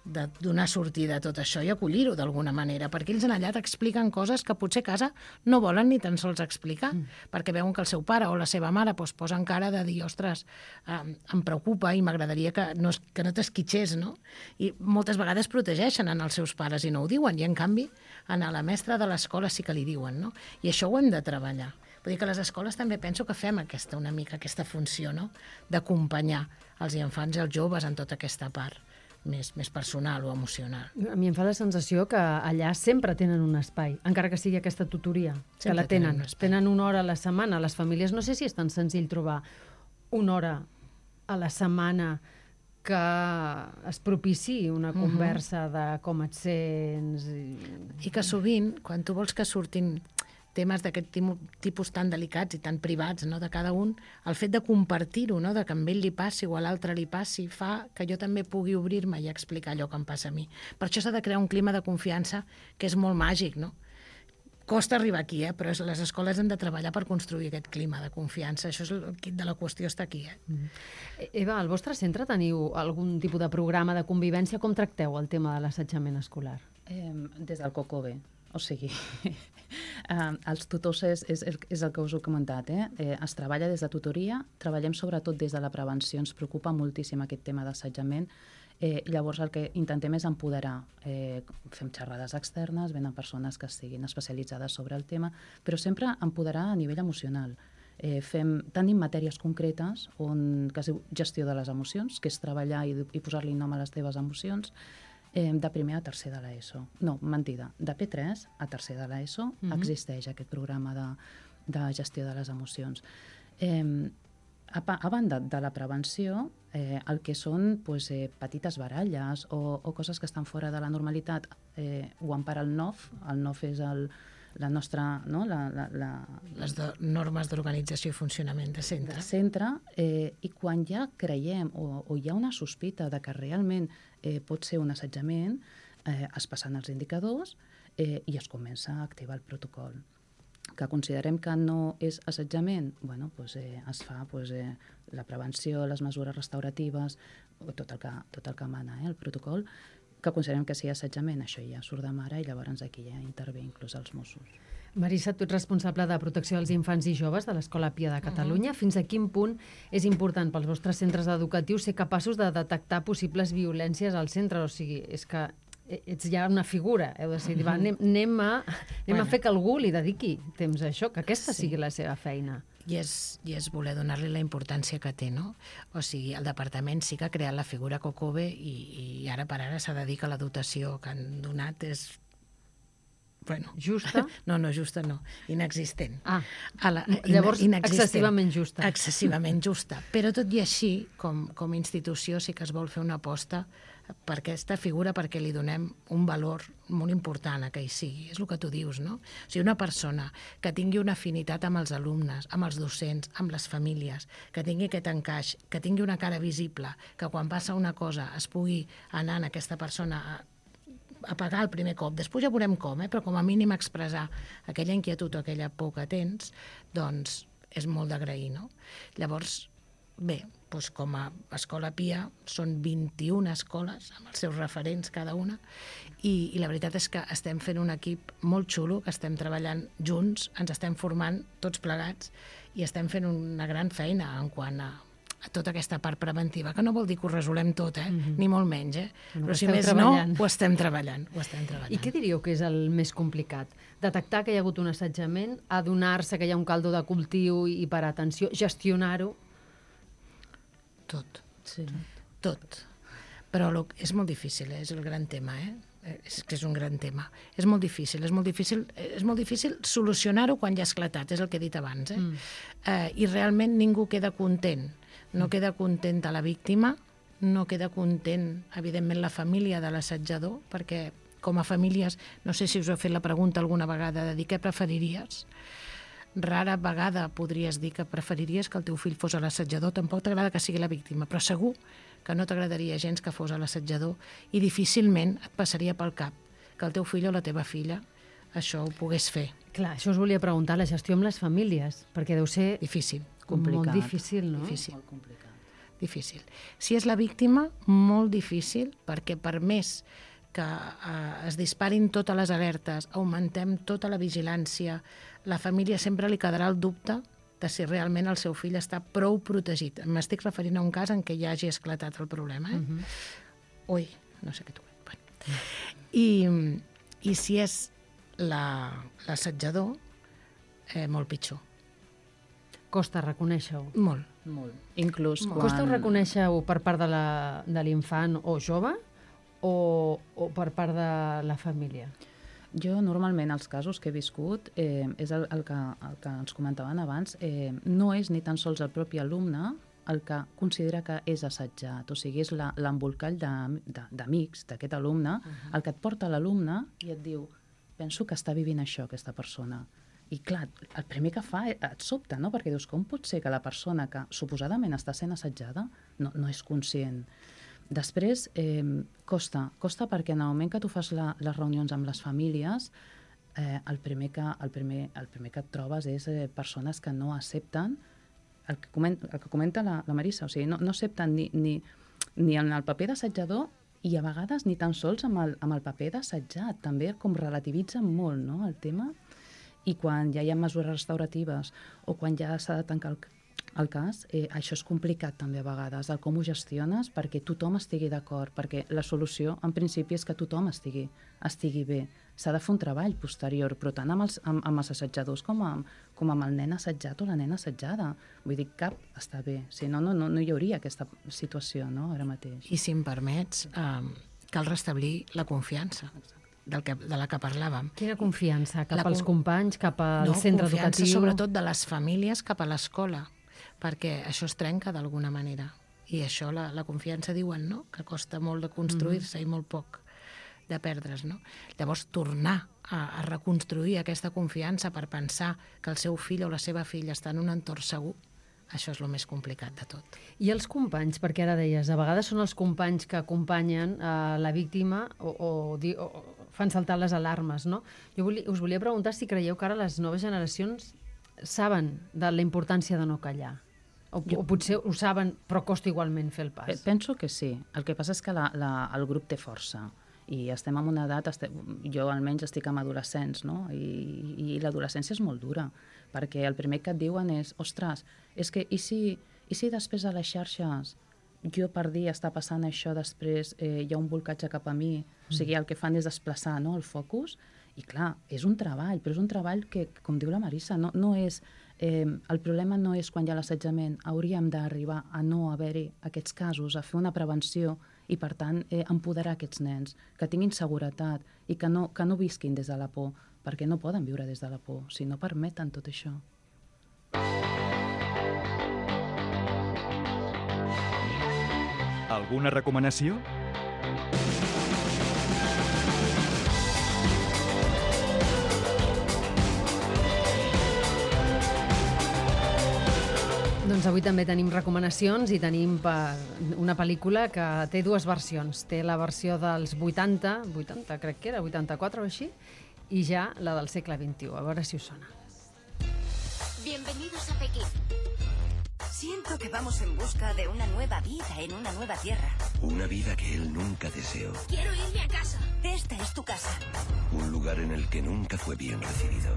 de donar sortida a tot això i acollir-ho d'alguna manera, perquè ells en allà t'expliquen coses que potser a casa no volen ni tan sols explicar, perquè veuen que el seu pare o la seva mare posen cara de dir, ostres, em preocupa i m'agradaria que no t'esquitxés, no? I moltes vegades protegeixen en els seus pares i no ho diuen, i en canvi a la mestra de l'escola sí que li diuen, no? I això ho hem de treballar. Vull dir que a les escoles també penso que fem aquesta funció, no? D'acompanyar els infants i els joves en tota aquesta part. més personal o emocional.
A mi em fa la sensació que allà sempre tenen un espai, encara que sigui aquesta tutoria, que la tenen. Tenen una hora a la setmana. Les famílies no sé si és tan senzill trobar una hora a la setmana que es propiciï una conversa de com et sents.
I que sovint, quan tu vols que surtin temes d'aquest tipus tan delicats i tan privats, no, de cada un, el fet de compartir-ho, no, de que a ell li passi o a l'altre li passi, fa que jo també pugui obrir-me i explicar allò que em passa a mi. Per això s'ha de crear un clima de confiança que és molt màgic, no? Costa arribar aquí, però les escoles han de treballar per construir aquest clima de confiança. Això és el quid de la qüestió, està aquí.
Eva, al vostre centre teniu algun tipus de programa de convivència? Com tracteu el tema de l'assetjament escolar?
Des del COCOBE. O sigui, els tutors és el que us he comentat. Es treballa des de tutoria, treballem sobretot des de la prevenció. Ens preocupa moltíssim aquest tema d'assetjament. Llavors el que intentem és empoderar. Fem xerrades externes, venen persones que estiguin especialitzades sobre el tema, però sempre empoderar a nivell emocional. Tenim matèries concretes que es diu gestió de les emocions, que és treballar i posar-li nom a les teves emocions, de primer a tercer de l'ESO. No, mentida, de P3 a tercer de l'ESO existeix aquest programa de gestió de les emocions. A banda de la prevenció, el que són petites baralles o coses que estan fora de la normalitat ho empara el NOF. El NOF és la nostra...
Les normes d'organització i funcionament de centre.
I quan ja creiem o hi ha una sospita de que realment pot ser un assetjament, es passen els indicadors i es comença a activar el protocol. Que considerem que no és assetjament, es fa la prevenció, les mesures restauratives, tot el que mana el protocol, que considerem que sigui assetjament, això ja surt de mare i llavors aquí ja intervé inclús els Mossos.
Marissa, tu ets responsable de protecció dels infants i joves de l'Escola Pia de Catalunya. Fins a quin punt és important pels vostres centres educatius ser capaços de detectar possibles violències al centre? O sigui, és que ets ja una figura, heu de dir, anem a fer que algú li dediqui temps a això, que aquesta sigui la seva feina.
I és voler donar-li la importància que té, no? O sigui, el departament sí que ha creat la figura COCOBE i ara per ara s'ha de dir que la dotació que han donat és...
Justa?
No, justa no, inexistent.
Llavors, excessivament justa.
Excessivament justa. Però tot i així, com a institució, sí que es vol fer una aposta per aquesta figura perquè li donem un valor molt important a que hi sigui. És el que tu dius, no? O sigui, una persona que tingui una afinitat amb els alumnes, amb els docents, amb les famílies, que tingui aquest encaix, que tingui una cara visible, que quan passa una cosa es pugui anar en aquesta persona a pagar el primer cop. Després ja veurem com, però com a mínim expressar aquella inquietud o aquella por que tens, doncs és molt d'agrair, no? Llavors, bé, doncs com a Escola Pia són 21 escoles amb els seus referents cada una i la veritat és que estem fent un equip molt xulo, que estem treballant junts, ens estem formant tots plegats i estem fent una gran feina en quant a tota aquesta part preventiva, que no vol dir que ho resolem tot, ni molt menys, però si més no, ho estem treballant.
I què diríeu que és el més complicat? Detectar que hi ha hagut un assetjament, adonar-se que hi ha un caldo de cultiu i per atenció, gestionar-ho?
Tot. Sí. Tot. Però és molt difícil, és el gran tema, És que és un gran tema. És molt difícil solucionar-ho quan ja ha esclatat, és el que he dit abans, I realment ningú queda content. No queda contenta la víctima, no queda content, evidentment, la família de l'assetjador, perquè com a famílies, no sé si us heu fet la pregunta alguna vegada de dir què preferiries. Rara vegada podries dir que preferiries que el teu fill fos l'assetjador, tampoc t'agrada que sigui la víctima, però segur que no t'agradaria gens que fos l'assetjador i difícilment et passaria pel cap que el teu fill o la teva filla això ho pogués fer.
Clar, això us volia preguntar, la gestió amb les famílies, perquè deu ser
difícil.
Complicat. Molt difícil, no?
Difícil. Molt complicat. Difícil. Si és la víctima, molt difícil, perquè per més que es disparin totes les alertes, augmentem tota la vigilància, la família sempre li quedarà el dubte de si realment el seu fill està prou protegit. M'estic referint a un cas en què ja hagi esclatat el problema. Ui, no sé què t'ho veig. I si és l'assetjador, molt pitjor.
Costa reconèixer-ho.
Molt.
Inclús quan...
Costa reconèixer-ho per part de l'infant o jove? o per part de la família?
Jo, normalment, els casos que he viscut, és el que ens comentaven abans, no és ni tan sols el propi alumne el que considera que és assetjat, o sigui, és l'embolcall d'amics d'aquest alumne, el que et porta l'alumne i et diu, penso que està vivint això, aquesta persona. I clar, el primer que fa et sobta, no? Perquè dius, com pot ser que la persona que suposadament està sent assetjada no és conscient? Després, costa perquè en el moment que tu fas les reunions amb les famílies, el primer que et trobes és persones que no accepten el que comenta la Marisa, o sigui, no accepten ni en el paper d'assetjador i a vegades ni tan sols amb el paper d'assetjat, també com relativitzen molt, no?, el tema. I quan ja hi ha mesures restauratives o quan ja s'ha de tancar el cas, això és complicat també a vegades, el com ho gestiones perquè tothom estigui d'acord, perquè la solució en principi és que tothom estigui bé. S'ha de fer un treball posterior, però tant amb els assetjadors com amb el nen assetjat o la nena assetjada. Vull dir, cap està bé, si no hi hauria aquesta situació, no?, ara mateix.
I si em permets, cal restablir la confiança de la que parlàvem.
Quina confiança? Cap als companys, cap al centre educatiu?
Confiança sobretot de les famílies cap a l'escola, perquè això es trenca d'alguna manera. I això, la confiança, diuen, no?, que costa molt de construir-se i molt poc de perdre's, no? Llavors, tornar a reconstruir aquesta confiança per pensar que el seu fill o la seva filla està en un entorn segur, això és el més complicat de tot.
I els companys, perquè ara deies, a vegades són els companys que acompanyen la víctima o fan saltar les alarmes, no? Jo us volia preguntar si creieu que ara les noves generacions saben de la importància de no callar. O potser ho saben, però costa igualment fer el pas.
Penso que sí. El que passa és que el grup té força. I estem en una edat, jo almenys estic amb adolescents, no? I l'adolescència és molt dura, perquè el primer que et diuen és, ostres, és que i si després de les xarxes jo per dir està passant això, després hi ha un bolcatge cap a mi, o sigui, el que fan és desplaçar, no?, el focus, i clar, és un treball, però és un treball que, com diu la Marisa, no és... el problema no és quan hi ha l'assetjament, hauríem d'arribar a no haver-hi aquests casos, a fer una prevenció i, per tant, empoderar aquests nens, que tinguin seguretat i que no visquin des de la por, perquè no poden viure des de la por, si no permeten tot això.
Alguna recomanació?
Doncs avui també tenim recomanacions i tenim una pel·lícula que té dues versions. Té la versió dels 80 crec que era, 84 o així, i ja la del segle XXI. A veure si us sona.
Bienvenidos a Pekín. Siento que vamos en busca de una nueva vida en una nueva tierra.
Una vida que él nunca deseó.
Quiero irme a casa. Esta es tu casa.
Un lugar en el que nunca fue bien recibido.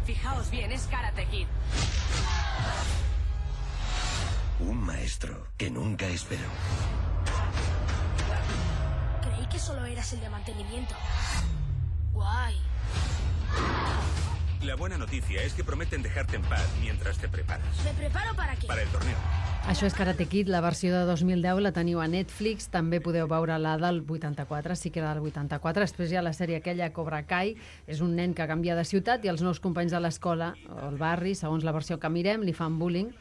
Fijaos bien, es Karate Kid.
Un maestro que nunca esperó.
Creí que solo eras el de mantenimiento. Guay.
La buena noticia es que prometen dejarte en paz mientras te preparas.
¿Me preparo para qué?
Para el torneo.
Això és Karate Kid, la versió de 2010, la teniu a Netflix, també podeu veure la del 84, sí que era del 84, després hi ha la sèrie aquella Cobra Kai, és un nen que canvia de ciutat i els nous companys de l'escola, o el barri, segons la versió que mirem, li fan bullying,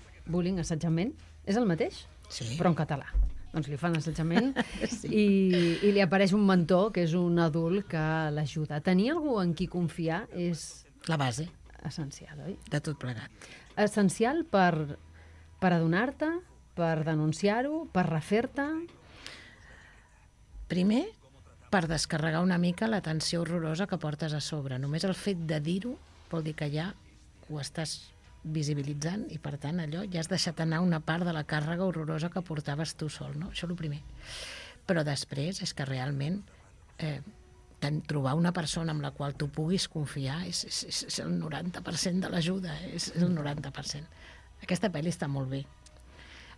assetjament, és el mateix?
Sí.
Però en català. Doncs li fan assetjament sí. i li apareix un mentor, que és un adult que l'ajuda. Tenir algú en qui confiar és...
La base.
Essencial, oi?
De tot plegat.
Essencial per adonar-te, per denunciar-ho, per refer-te?
Primer, per descarregar una mica la tensió horrorosa que portes a sobre. Només el fet de dir-ho vol dir que ja ho estàs visibilitzant i, per tant, allò ja has deixat anar una part de la càrrega horrorosa que portaves tu sol, no? Això és el primer. Però després és que realment trobar una persona amb la qual tu puguis confiar és el 90% de l'ajuda, és el 90%. Aquesta pel·li està molt bé.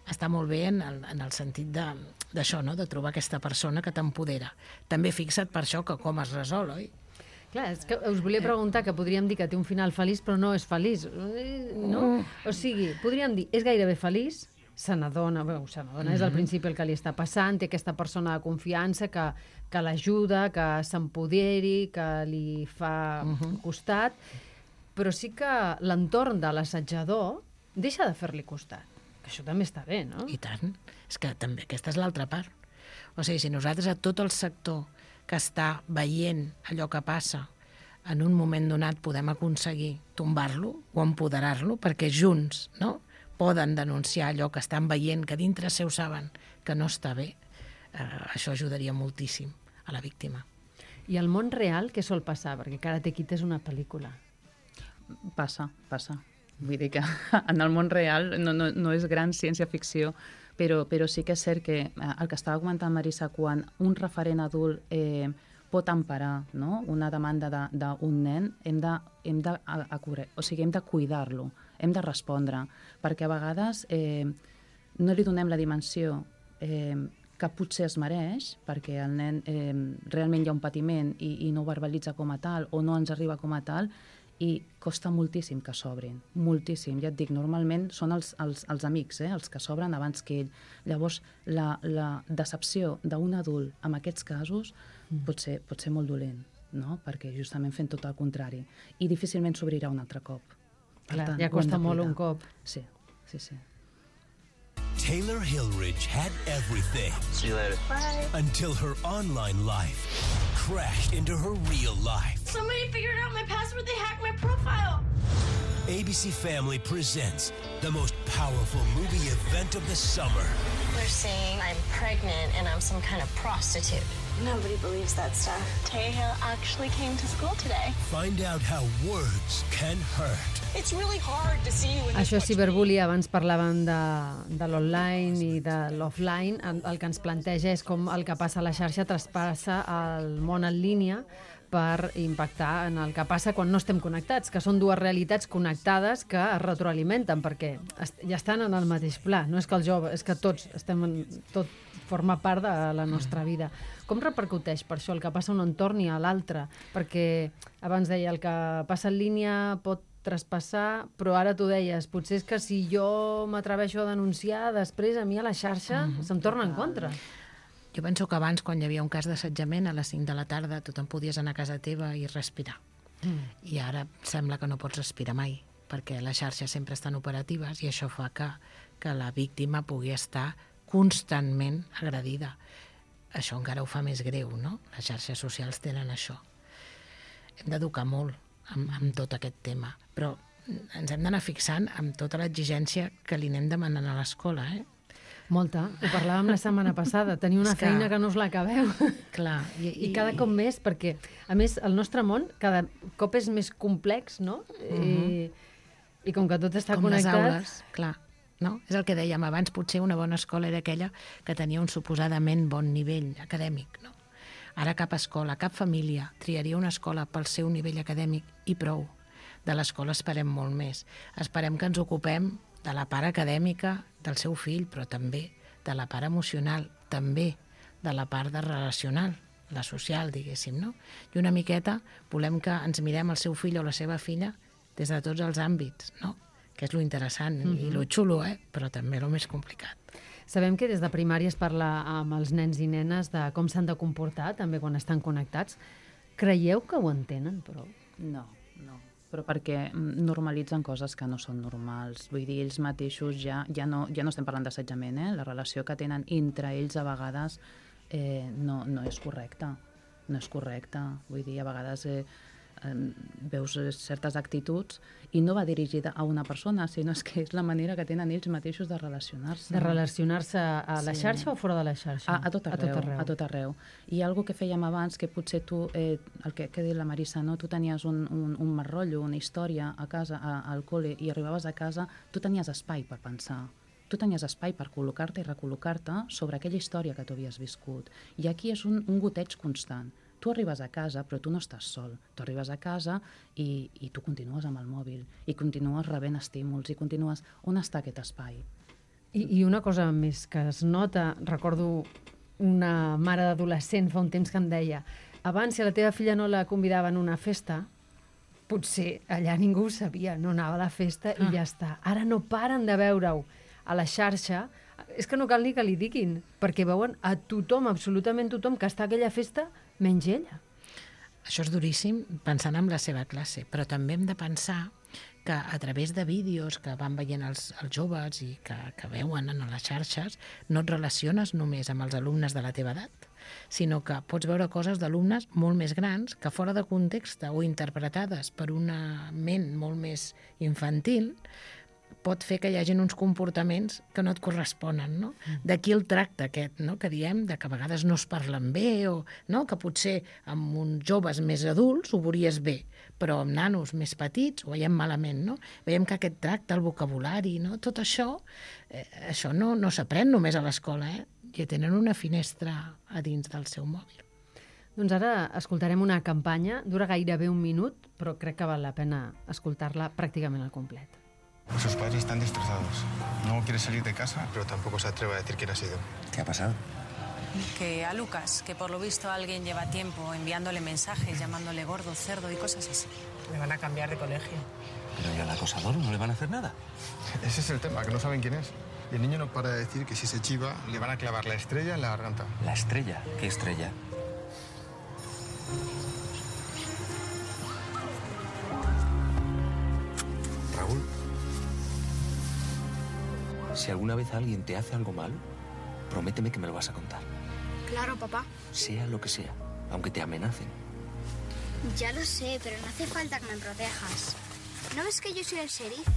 Està molt bé en el sentit d'això, no? De trobar aquesta persona que t'empodera. També fixa't per això que com es resol, oi?
Clar, és que us volia preguntar, que podríem dir que té un final feliç, però no és feliç, no? O sigui, podríem dir, és gairebé feliç, se n'adona, és al principi el que li està passant, té aquesta persona de confiança que l'ajuda, que s'empoderi, que li fa costat, però sí que l'entorn de l'assetjador deixa de fer-li costat. Que això també està bé, no?
I tant. És que també aquesta és l'altra part. O sigui, si nosaltres a tot el sector que està veient allò que passa en un moment donat podem aconseguir tombar-lo o empoderar-lo perquè junts, no?, poden denunciar allò que estan veient, que dintre seu saben que no està bé, això ajudaria moltíssim a la víctima.
I al món real què sol passar? Perquè Karate Kid és una pel·lícula.
Passa. Vull dir que en el món real no és gran ciència-ficció, però sí que és cert que el que estava comentant Marisa, quan un referent adult pot emparar, no?, una demanda d'un nen, hem de cuidar-lo, hem de respondre, perquè a vegades no li donem la dimensió que potser es mereix, perquè el nen realment hi ha un patiment i no ho verbalitza com a tal o no ens arriba com a tal, i costa moltíssim que s'obrin, moltíssim. Ja et dic, normalment són els amics, els que s'obren abans que ell. Llavors, la decepció d'un adult en aquests casos pot ser molt dolent, no?, perquè justament fent tot el contrari. I difícilment s'obrirà un altre cop.
Clar, ja costa molt un cop.
Sí.
Taylor Hillridge had everything.
See you later.
Bye. Until her online life crashed into her real life.
Somebody figured out my password. They hacked my profile.
ABC Family presents the most powerful movie event of the summer.
They're saying I'm pregnant and I'm some kind of prostitute. Nobody believes that stuff. Tayhill actually came to school today.
Find out how words can hurt.
It's really hard to see you in
Això és ciberbullying. Abans parlàvem de l'online i de l'offline. El que ens planteja és com el que passa a la xarxa traspassa al món en línia per impactar en el que passa quan no estem connectats, que són dues realitats connectades que es retroalimenten, perquè ja estan en el mateix pla. No és que el jove, és que tots tot forma part de la nostra vida. Com repercuteix per això el que passa a un entorn i a l'altre? Perquè abans deia, el que passa en línia pot traspassar, però ara tu deies, potser és que si jo m'atreveixo a denunciar, després a mi a la xarxa se'm torna en contra.
Jo penso que abans, quan hi havia un cas d'assetjament, a les 5 de la tarda tothom podies anar a casa teva i respirar. I ara sembla que no pots respirar mai, perquè les xarxes sempre estan operatives i això fa que la víctima pugui estar constantment agredida. Això encara ho fa més greu, no? Les xarxes socials tenen això. Hem d'educar molt amb tot aquest tema, però ens hem d'anar fixant amb tota l'exigència que li anem demanant a l'escola,
Molta. Ho parlàvem la setmana passada. Tenir una feina que no us l'acabeu.
Clar.
I cada cop més, perquè, a més, el nostre món cada cop és més complex, no? I com que tot està connectat...
Com les aules, clar. No? És el que dèiem abans, potser una bona escola era aquella que tenia un suposadament bon nivell acadèmic, no? Ara cap escola, cap família triaria una escola pel seu nivell acadèmic i prou. De l'escola esperem molt més. Esperem que ens ocupem de la part acadèmica del seu fill, però també de la part emocional, també de la part de relacional, la social, diguéssim, no? I una miqueta volem que ens mirem el seu fill o la seva filla des de tots els àmbits, no? Que és lo interessant i lo xulo, però també lo més complicat.
Sabem que des de primària es parla amb els nens i nenes de com s'han de comportar, també quan estan connectats. Creieu que ho entenen, però?
No. Però perquè normalitzen coses que no són normals. Vull dir, ells mateixos ja no estem parlant d'assetjament, la relació que tenen entre ells a vegades no és correcta. No és correcta. Vull dir, a vegades veus certes actituds i no va dirigida a una persona, sinó que és la manera que tenen ells mateixos de relacionar-se.
De relacionar-se a la xarxa o fora de la xarxa?
A tot arreu. I algo que fèiem abans, que potser tu, el que ha dit la Marisa, no? Tu tenies un mal rotllo, una història a casa, al col·le, i arribaves a casa, tu tenies espai per pensar. Tu tenies espai per col·locar-te i recol·locar-te sobre aquella història que tu havies viscut. I aquí és un goteig constant. Tu arribes a casa, però tu no estàs sol. Tu arribes a casa i tu continues amb el mòbil, i continues rebent estímuls, i continues... On està aquest espai?
I una cosa més que es nota, recordo una mare d'adolescent fa un temps que em deia, abans si a la teva filla no la convidaven a una festa, potser allà ningú ho sabia, no anava a la festa i ja està. Ara no paren de veure-ho a la xarxa, és que no cal ni que li diguin, perquè veuen a tothom, absolutament tothom, que està a aquella festa, menys ella.
Això és duríssim pensant en la seva classe, però també hem de pensar que a través de vídeos que van veient els joves i que veuen en les xarxes, no et relaciones només amb els alumnes de la teva edat, sinó que pots veure coses d'alumnes molt més grans que fora de context o interpretades per una ment molt més infantil pot fer que hi hagin uns comportaments que no et corresponen, no? D'aquí el tracte aquest, no?, que diem, de que a vegades no es parlen bé, o no? Que potser amb uns joves més adults ho veuries bé, però amb nanos més petits ho veiem malament, no? Veiem que aquest tracte, el vocabulari, no? Tot això, això no s'aprèn només a l'escola, i tenen una finestra a dins del seu mòbil.
Doncs ara escoltarem una campanya, dura gairebé un minut, però crec que val la pena escoltar-la pràcticament al complet.
Sus padres están destrozados. No quiere salir de casa, pero tampoco se atreve a decir quién ha sido.
¿Qué ha pasado?
Que a Lucas, que por lo visto alguien lleva tiempo enviándole mensajes, llamándole gordo, cerdo y cosas así.
Le van a cambiar de colegio.
¿Pero y al acosador no le van a hacer nada?
Ese es el tema, que no saben quién es. Y el niño no para de decir que si se chiva, le van a clavar la estrella en la garganta.
¿La estrella? ¿Qué estrella? Raúl, si alguna vez alguien te hace algo malo, prométeme que me lo vas a contar.
Claro, papá.
Sea lo que sea, aunque te amenacen.
Ya lo sé, pero no hace falta que me protejas. ¿No ves que yo soy el sheriff?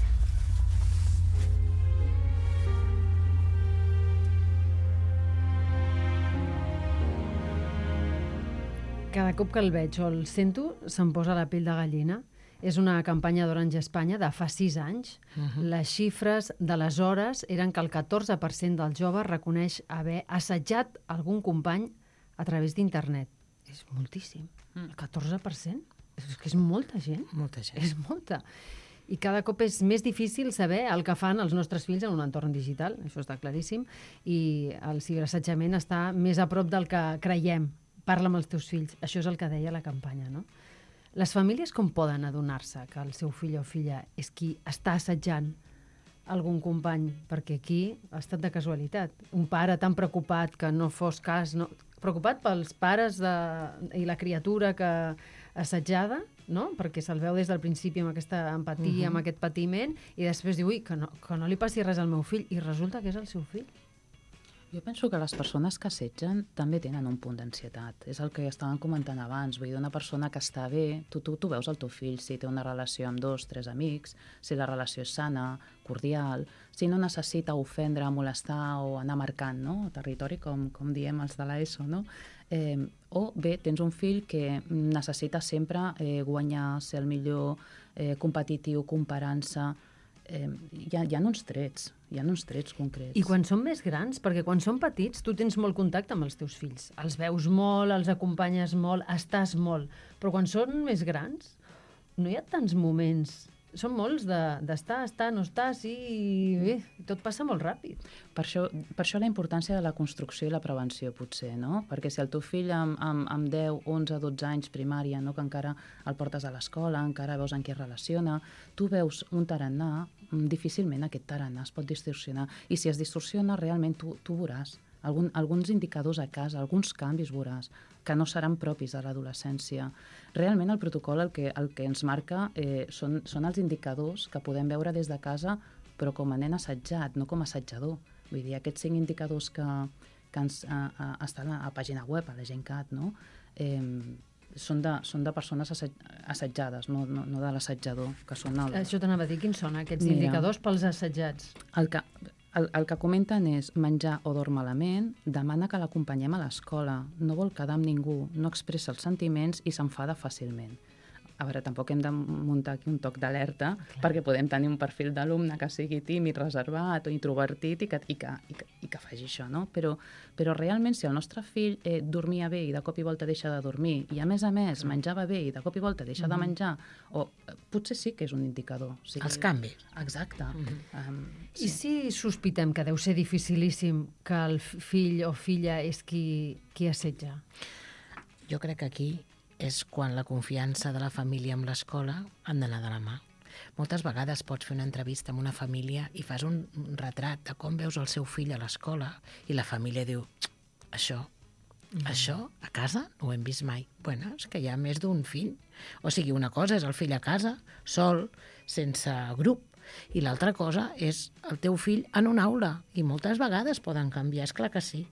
Cada cop que el veig o el sento, se'm posa la pell de gallina. És una campanya d'Orange Espanya de fa 6 anys. Les xifres d'aleshores eren que el 14% dels joves reconeix haver assetjat algun company a través d'internet. És moltíssim. El 14%? És que és molta gent.
Molta gent.
És molta. I cada cop és més difícil saber el que fan els nostres fills en un entorn digital, això està claríssim, i el ciberassetjament està més a prop del que creiem. Parla amb els teus fills. Això és el que deia la campanya, no? Les famílies com poden adonar-se que el seu fill o filla és qui està assetjant algun company? Perquè aquí ha estat de casualitat. Un pare tan preocupat que no fos cas... No, preocupat pels pares i la criatura que assetjada, no? Perquè se'l veu des del principi amb aquesta empatia, amb aquest patiment, i després diu, ui, que no li passi res al meu fill, i resulta que és el seu fill.
Jo penso que les persones que assetgen també tenen un punt d'ansietat. És el que estàvem comentant abans. Vull dir, una persona que està bé, tu veus el teu fill si té una relació amb 2, 3 amics, si la relació és sana, cordial, si no necessita ofendre, molestar o anar marcant, no? Territori, com diem els de l'ESO, no? O bé, tens un fill que necessita sempre guanyar, ser el millor, competitiu, comparant-se. Hi ha uns trets concrets.
I quan són més grans, perquè quan són petits tu tens molt contacte amb els teus fills, els veus molt, els acompanyes molt, estàs molt, però quan són més grans no hi ha tants moments, són molts d'estar, no estar, sí, bé, tot passa molt ràpid.
Per això la importància de la construcció i la prevenció, potser, no? Perquè si el teu fill amb 10, 11, 12 anys primària, no, que encara el portes a l'escola, encara veus en què es relaciona, tu veus un tarannà, difícilment aquest tarannà es pot distorsionar. I si es distorsiona, realment tu veuràs alguns indicadors a casa, alguns canvis veuràs, que no seran propis de l'adolescència. Realment el protocol el que ens marca són els indicadors que podem veure des de casa, però com a nen assetjat, no com a assetjador. Vull dir, aquests 5 indicadors que estan a la pàgina web, a la GenCat, no? Són de persones assetjades, no de l'assetjador.
Això t'anava a dir, quins són aquests indicadors pels assetjats?
El que comenten és menjar o dorm malament, demana que l'acompanyem a l'escola, no vol quedar amb ningú, no expressa els sentiments i s'enfada fàcilment. A veure, tampoc hem de muntar aquí un toc d'alerta, perquè podem tenir un perfil d'alumne que sigui tímid, reservat o introvertit i que faci això, no? Però realment, si el nostre fill dormia bé i de cop i volta deixa de dormir, i a més menjava bé i de cop i volta deixa de menjar, o potser sí que és un indicador.
Els canvis.
Exacte.
I si sospitem que deu ser dificilíssim que el fill o filla és qui assetja?
Jo crec que aquí és quan la confiança de la família amb l'escola han d'anar de la mà. Moltes vegades pots fer una entrevista amb una família i fas un retrat de com veus el seu fill a l'escola i la família diu, això a casa no ho hem vist mai. Bueno, és que hi ha més d'un fill. O sigui, una cosa és el fill a casa, sol, sense grup, i l'altra cosa és el teu fill en una aula. I moltes vegades poden canviar, és clar que sí.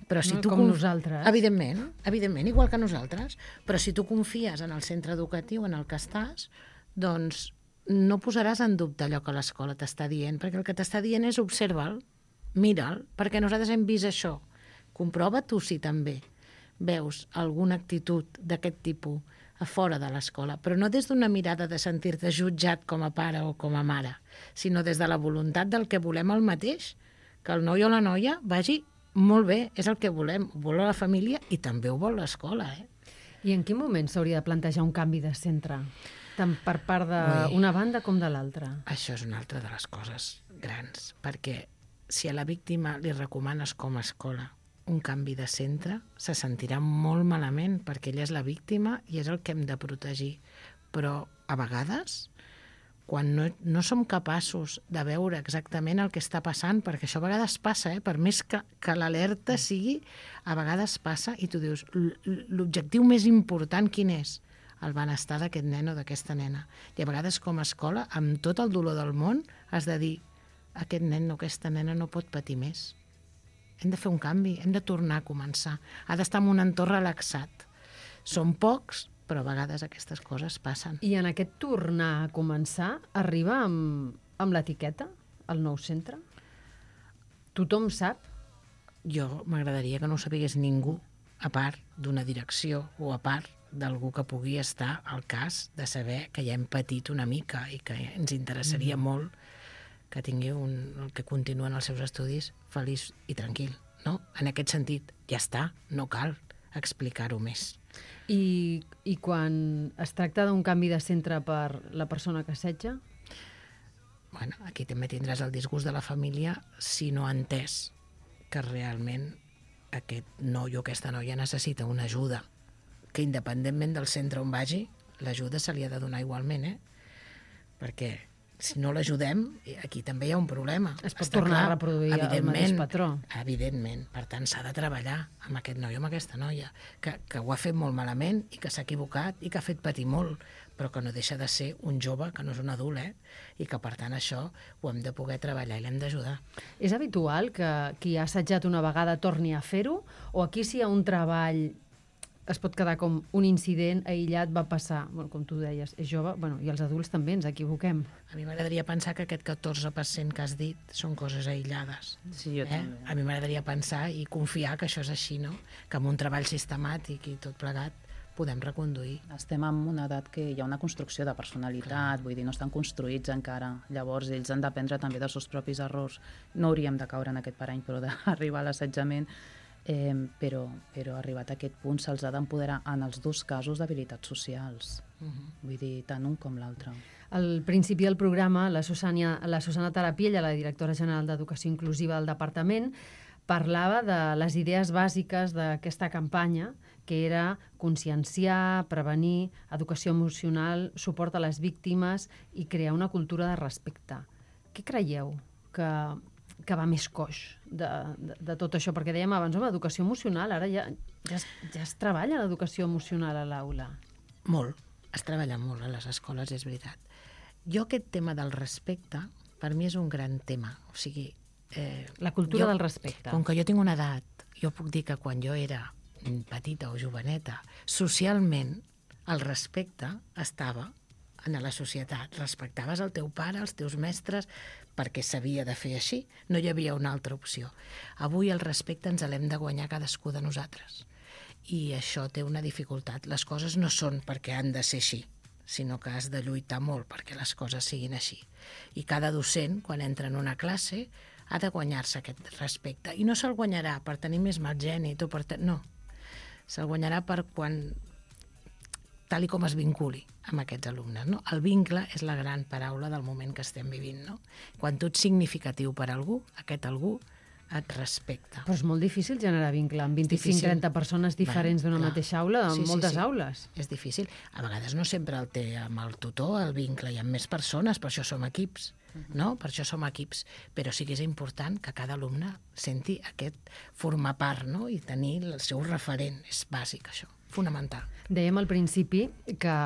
Però si tu
com nosaltres.
Evidentment, igual que nosaltres. Però si tu confies en el centre educatiu en el que estàs, doncs no posaràs en dubte allò que l'escola t'està dient, perquè el que t'està dient és observa'l, mira'l, perquè nosaltres hem vist això. Comprova tu si també veus alguna actitud d'aquest tipus a fora de l'escola, però no des d'una mirada de sentir-te jutjat com a pare o com a mare, sinó des de la voluntat del que volem el mateix, que el noi o la noia vagi molt bé, és el que volem, ho vol la família i també ho vol l'escola.
I en quin moment s'hauria de plantejar un canvi de centre, tant per part d'una banda com de l'altra?
Això és una altra de les coses grans, perquè si a la víctima li recomanes com a escola un canvi de centre, se sentirà molt malament perquè ella és la víctima i és el que hem de protegir. Però a vegades, quan no som capaços de veure exactament el que està passant, perquè això a vegades passa, per més que l'alerta sigui, a vegades passa i tu dius, l'objectiu més important quin és? El benestar d'aquest nen o d'aquesta nena. I a vegades com a escola, amb tot el dolor del món, has de dir, aquest nen o aquesta nena no pot patir més. Hem de fer un canvi, hem de tornar a començar. Ha d'estar en un entorn relaxat. Som pocs, però a vegades aquestes coses passen.
I en aquest tornar a començar arriba amb l'etiqueta, al nou centre? Tothom sap?
Jo m'agradaria que no ho sapigués ningú, a part d'una direcció o a part d'algú que pugui estar al cas de saber que ja hem patit una mica i que ens interessaria molt que tingui el que continua en els seus estudis feliç i tranquil. No? En aquest sentit, ja està, no cal explicar-ho més.
I quan es tracta d'un canvi de centre per la persona que assetja?
Bueno, aquí també tindràs el disgust de la família si no ha entès que realment aquest noi o aquesta noia necessita una ajuda, que independentment del centre on vagi, l'ajuda se li ha de donar igualment, perquè si no l'ajudem, aquí també hi ha un problema.
Es pot tornar a reproduir el mateix patró.
Evidentment. Per tant, s'ha de treballar amb aquest noi o amb aquesta noia, que ho ha fet molt malament i que s'ha equivocat i que ha fet patir molt, però que no deixa de ser un jove, que no és un adult, i que, per tant, això ho hem de poder treballar i l'hem d'ajudar.
És habitual que qui ha assetjat una vegada torni a fer-ho? O aquí si hi ha un treball es pot quedar com un incident aïllat, va passar, com tu deies, és jove, i els adults també ens equivoquem.
A mi m'agradaria pensar que aquest 14% que has dit són coses aïllades.
Sí, jo també.
A mi m'agradaria pensar i confiar que això és així, no? Que amb un treball sistemàtic i tot plegat podem reconduir.
Estem en una edat que hi ha una construcció de personalitat, vull dir, no estan construïts encara. Llavors, ells han d'aprendre també dels seus propis errors. No hauríem de caure en aquest parany, però d'arribar a l'assetjament. Però arribat a aquest punt se'ls ha d'empoderar en els dos casos d'habilitats socials. Vull dir, tant un com l'altre.
Al principi del programa, la Susana Tarapiella, la directora general d'Educació Inclusiva del Departament, parlava de les idees bàsiques d'aquesta campanya, que era conscienciar, prevenir, educació emocional, suport a les víctimes i crear una cultura de respecte. Què creieu que va més coix de tot això? Perquè dèiem abans, educació emocional, ara ja es treballa l'educació emocional a l'aula.
Molt, es treballa molt a les escoles, és veritat. Jo aquest tema del respecte, per mi és un gran tema. O sigui,
la cultura del respecte.
Com que jo tinc una edat, jo puc dir que quan jo era petita o joveneta, socialment el respecte estava en la societat. Respectaves el teu pare, els teus mestres, perquè s'havia de fer així. No hi havia una altra opció. Avui el respecte ens l'hem de guanyar cadascú de nosaltres. I això té una dificultat. Les coses no són perquè han de ser així, sinó que has de lluitar molt perquè les coses siguin així. I cada docent, quan entra en una classe, ha de guanyar-se aquest respecte. I no se'l guanyarà per tenir més mal gènit o per... No. Se'l guanyarà per quan... tal com es vinculi amb aquests alumnes. No? El vincle és la gran paraula del moment que estem vivint. No? Quan tu ets significatiu per algú, aquest algú et respecta.
Però és molt difícil generar vincle amb 25-30 persones diferents d'una mateixa aula, amb moltes aules.
És difícil. A vegades no sempre el té amb el tutor, el vincle, hi ha més persones, per això som equips, no? Per això som equips. Però sí que és important que cada alumne senti aquest formar part, no? I tenir el seu referent. És bàsic, això. Fonamental.
Dèiem al principi que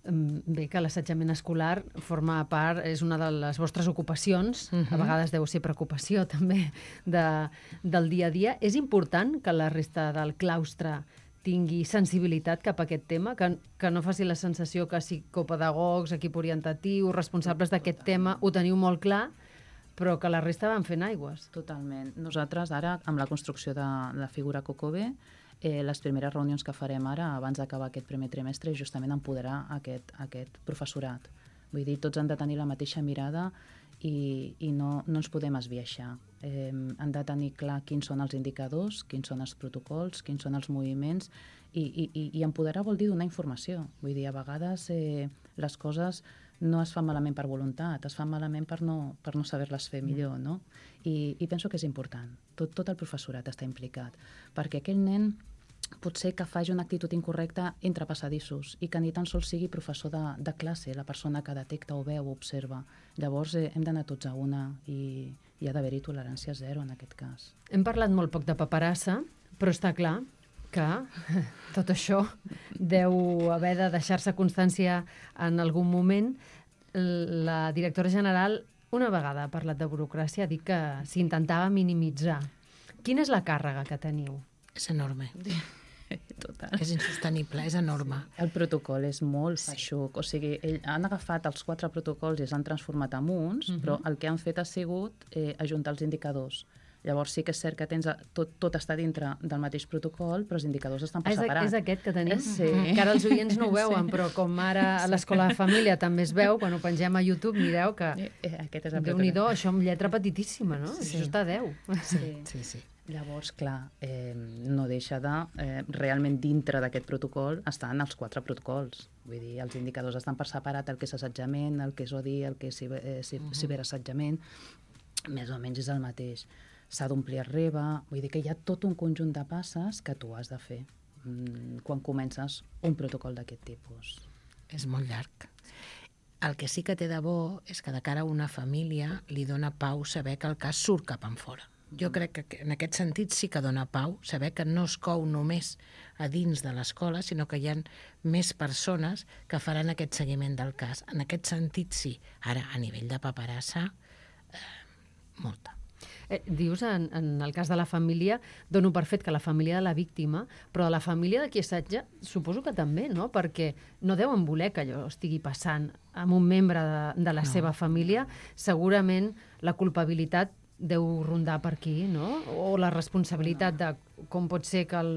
que l'assetjament escolar forma part, és una de les vostres ocupacions, a vegades deu ser preocupació també del dia a dia. És important que la resta del claustre tingui sensibilitat cap a aquest tema, que no faci la sensació que psicopedagogs, equip orientatiu, responsables d'aquest tema, ho teniu molt clar, però que la resta van fent aigües.
Totalment. Nosaltres ara, amb la construcció de la figura COCOBE, les primeres reunions que farem ara, abans d'acabar aquest primer trimestre, és justament empoderar aquest professorat. Vull dir, tots han de tenir la mateixa mirada i no ens podem esbiaixar. Han de tenir clar quins són els indicadors, quins són els protocols, quins són els moviments, i empoderar vol dir donar informació. Vull dir, a vegades les coses no es fan malament per voluntat, es fan malament per no saber-les fer millor, no? I penso que és important. Tot el professorat està implicat, perquè aquell nen potser que faci una actitud incorrecta entre passadissos i que ni tan sols sigui professor de classe, la persona que detecta o veu o observa. Llavors hem d'anar tots a una i ha d'haver-hi tolerància zero en aquest cas.
Hem parlat molt poc de paperassa, però està clar que tot això deu haver de deixar-se constància en algun moment. La directora general una vegada ha parlat de burocràcia, ha dit que s'intentava minimitzar. Quina és la càrrega que teniu?
És enorme.
Total.
És insostenible, és enorme.
El protocol és molt feixuc. O sigui, han agafat els 4 protocols i els han transformat en uns, però el que han fet ha sigut ajuntar els indicadors. Llavors sí que és cert que tens tot està dintre del mateix protocol, però els indicadors estan per separat.
És aquest que tenim?
Sí.
Que ara els oients no ho veuen, però com ara a l'Escola de Família també es veu, quan ho pengem a YouTube, mireu que Déu-n'hi-do, això amb lletra petitíssima, no? Això està a 10.
Sí. Llavors, clar, no deixa de... realment dintre d'aquest protocol estan els 4 protocols. Vull dir, els indicadors estan per separat, el que és assetjament, el que és odi, el que és ciberassetjament, més o menys és el mateix. S'ha d'omplir el REBA, vull dir que hi ha tot un conjunt de passes que tu has de fer quan comences un protocol d'aquest tipus.
És molt llarg. El que sí que té de bo és que de cara a una família li dona pau saber que el cas surt cap enfora. Jo crec que en aquest sentit sí que dona pau saber que no es cou només a dins de l'escola, sinó que hi ha més persones que faran aquest seguiment del cas. En aquest sentit sí. Ara, a nivell de paperassa, molta.
Dius, en el cas de la família, dono per fet que la família de la víctima, però de la família de qui assetja, suposo que també, no? Perquè no deuen voler que allò estigui passant amb un membre de la seva família. Segurament la culpabilitat deu rondar per aquí, no? O la responsabilitat de com pot ser que el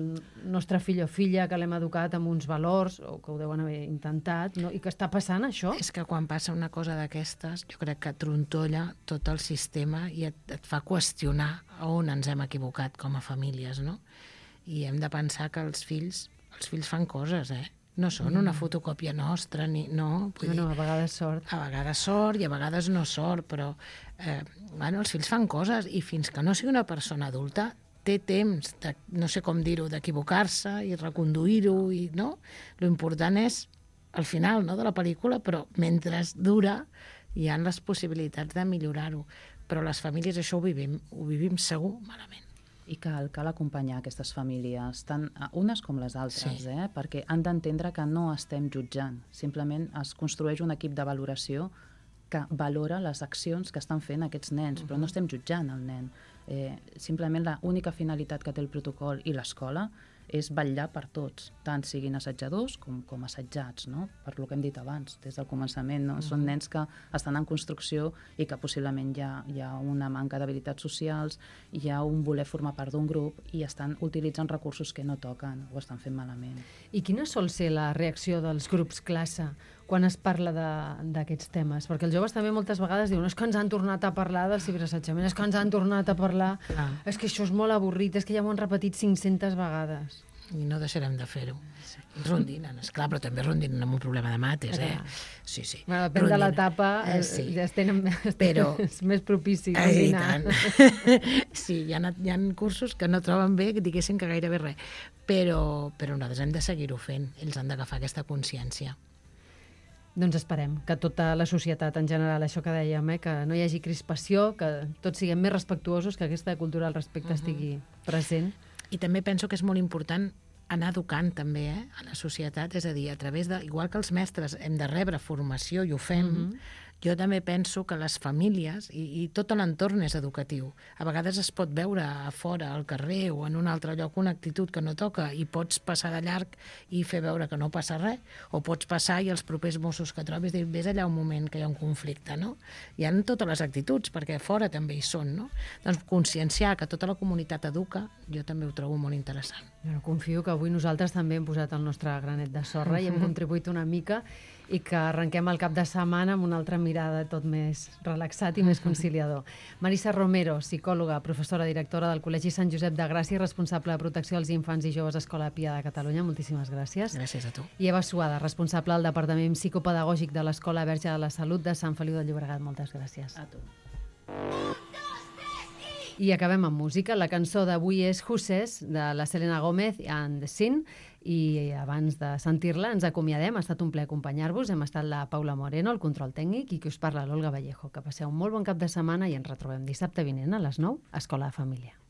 nostre fill o filla que l'hem educat amb uns valors, o que ho deuen haver intentat, no? I que està passant això?
És que quan passa una cosa d'aquestes, jo crec que trontolla tot el sistema i et fa qüestionar on ens hem equivocat com a famílies, no? I hem de pensar que els fills fan coses, No són una fotocòpia nostra, no.
No, a vegades sort.
A vegades sort i a vegades no sort, però els fills fan coses i fins que no sigui una persona adulta té temps, no sé com dir-ho, d'equivocar-se i reconduir-ho, no? Lo important és al final de la pel·lícula, però mentre dura hi ha les possibilitats de millorar-ho. Però les famílies això ho vivim segur malament.
I cal acompanyar aquestes famílies, tant unes com les altres, perquè han d'entendre que no estem jutjant. Simplement es construeix un equip de valoració que valora les accions que estan fent aquests nens, però no estem jutjant el nen. Simplement l'única finalitat que té el protocol i l'escola és vetllar per tots, tant siguin assetjadors com assetjats, no? Per lo que hem dit abans, des del començament, no? Són nens que estan en construcció i que possiblement hi ha una manca d'habilitats socials, hi ha un voler formar part d'un grup i estan utilitzant recursos que no toquen, ho estan fent malament.
I quina sol ser la reacció dels grups classe quan es parla d'aquests temes? Perquè els joves també moltes vegades diuen és que ens han tornat a parlar del ciberassetjament, és que ens han tornat a parlar, és que això és molt avorrit, és que ja m'ho han repetit 500 vegades.
I no deixarem de fer-ho. Rondinen, esclar, però també rondinen amb un problema de mates, Sí.
Bueno, depèn de l'etapa, ja és més propici rondinar.
Sí, hi ha cursos que no troben bé, que diguessin que gairebé res. Però nosaltres hem de seguir-ho fent. Ells han d'agafar aquesta consciència.
Doncs esperem que tota la societat en general, això que dèiem, que no hi hagi crispació, que tots siguem més respectuosos, que aquesta cultura al respecte estigui present.
I també penso que és molt important anar educant també a la societat, és a dir, a través de, igual que els mestres hem de rebre formació i ho fem, jo també penso que les famílies i tot l'entorn és educatiu. A vegades es pot veure a fora, al carrer o en un altre lloc una actitud que no toca i pots passar de llarg i fer veure que no passa res, o pots passar i els propers Mossos que trobis dir, vés allà un moment que hi ha un conflicte, no? Hi ha totes les actituds, perquè a fora també hi són, no? Doncs conscienciar que tota la comunitat educa, jo també ho trobo molt interessant.
Bueno, confio que avui nosaltres també hem posat el nostre granet de sorra i hem contribuït una mica i que arrenquem el cap de setmana amb una altra mirada tot més relaxat i més conciliador. Marisa Romero, psicòloga, professora, directora del Col·legi Sant Josep de Gràcia i responsable de protecció als infants i joves Escola Pia de Catalunya. Moltíssimes gràcies.
Gràcies a tu.
I Eva Suada, responsable del Departament Psicopedagògic de l'Escola Verge de la Salut de Sant Feliu de Llobregat. Moltes gràcies.
A tu.
I acabem amb música. La cançó d'avui és Huses, de la Selena Gómez and the Sin, i abans de sentir-la ens acomiadem. Ha estat un plaer acompanyar-vos. Hem estat la Paula Moreno, el control tècnic, i qui us parla, l'Olga Vallejo. Que passeu un molt bon cap de setmana i ens retrobem dissabte vinent a les 9 a Escola de Família.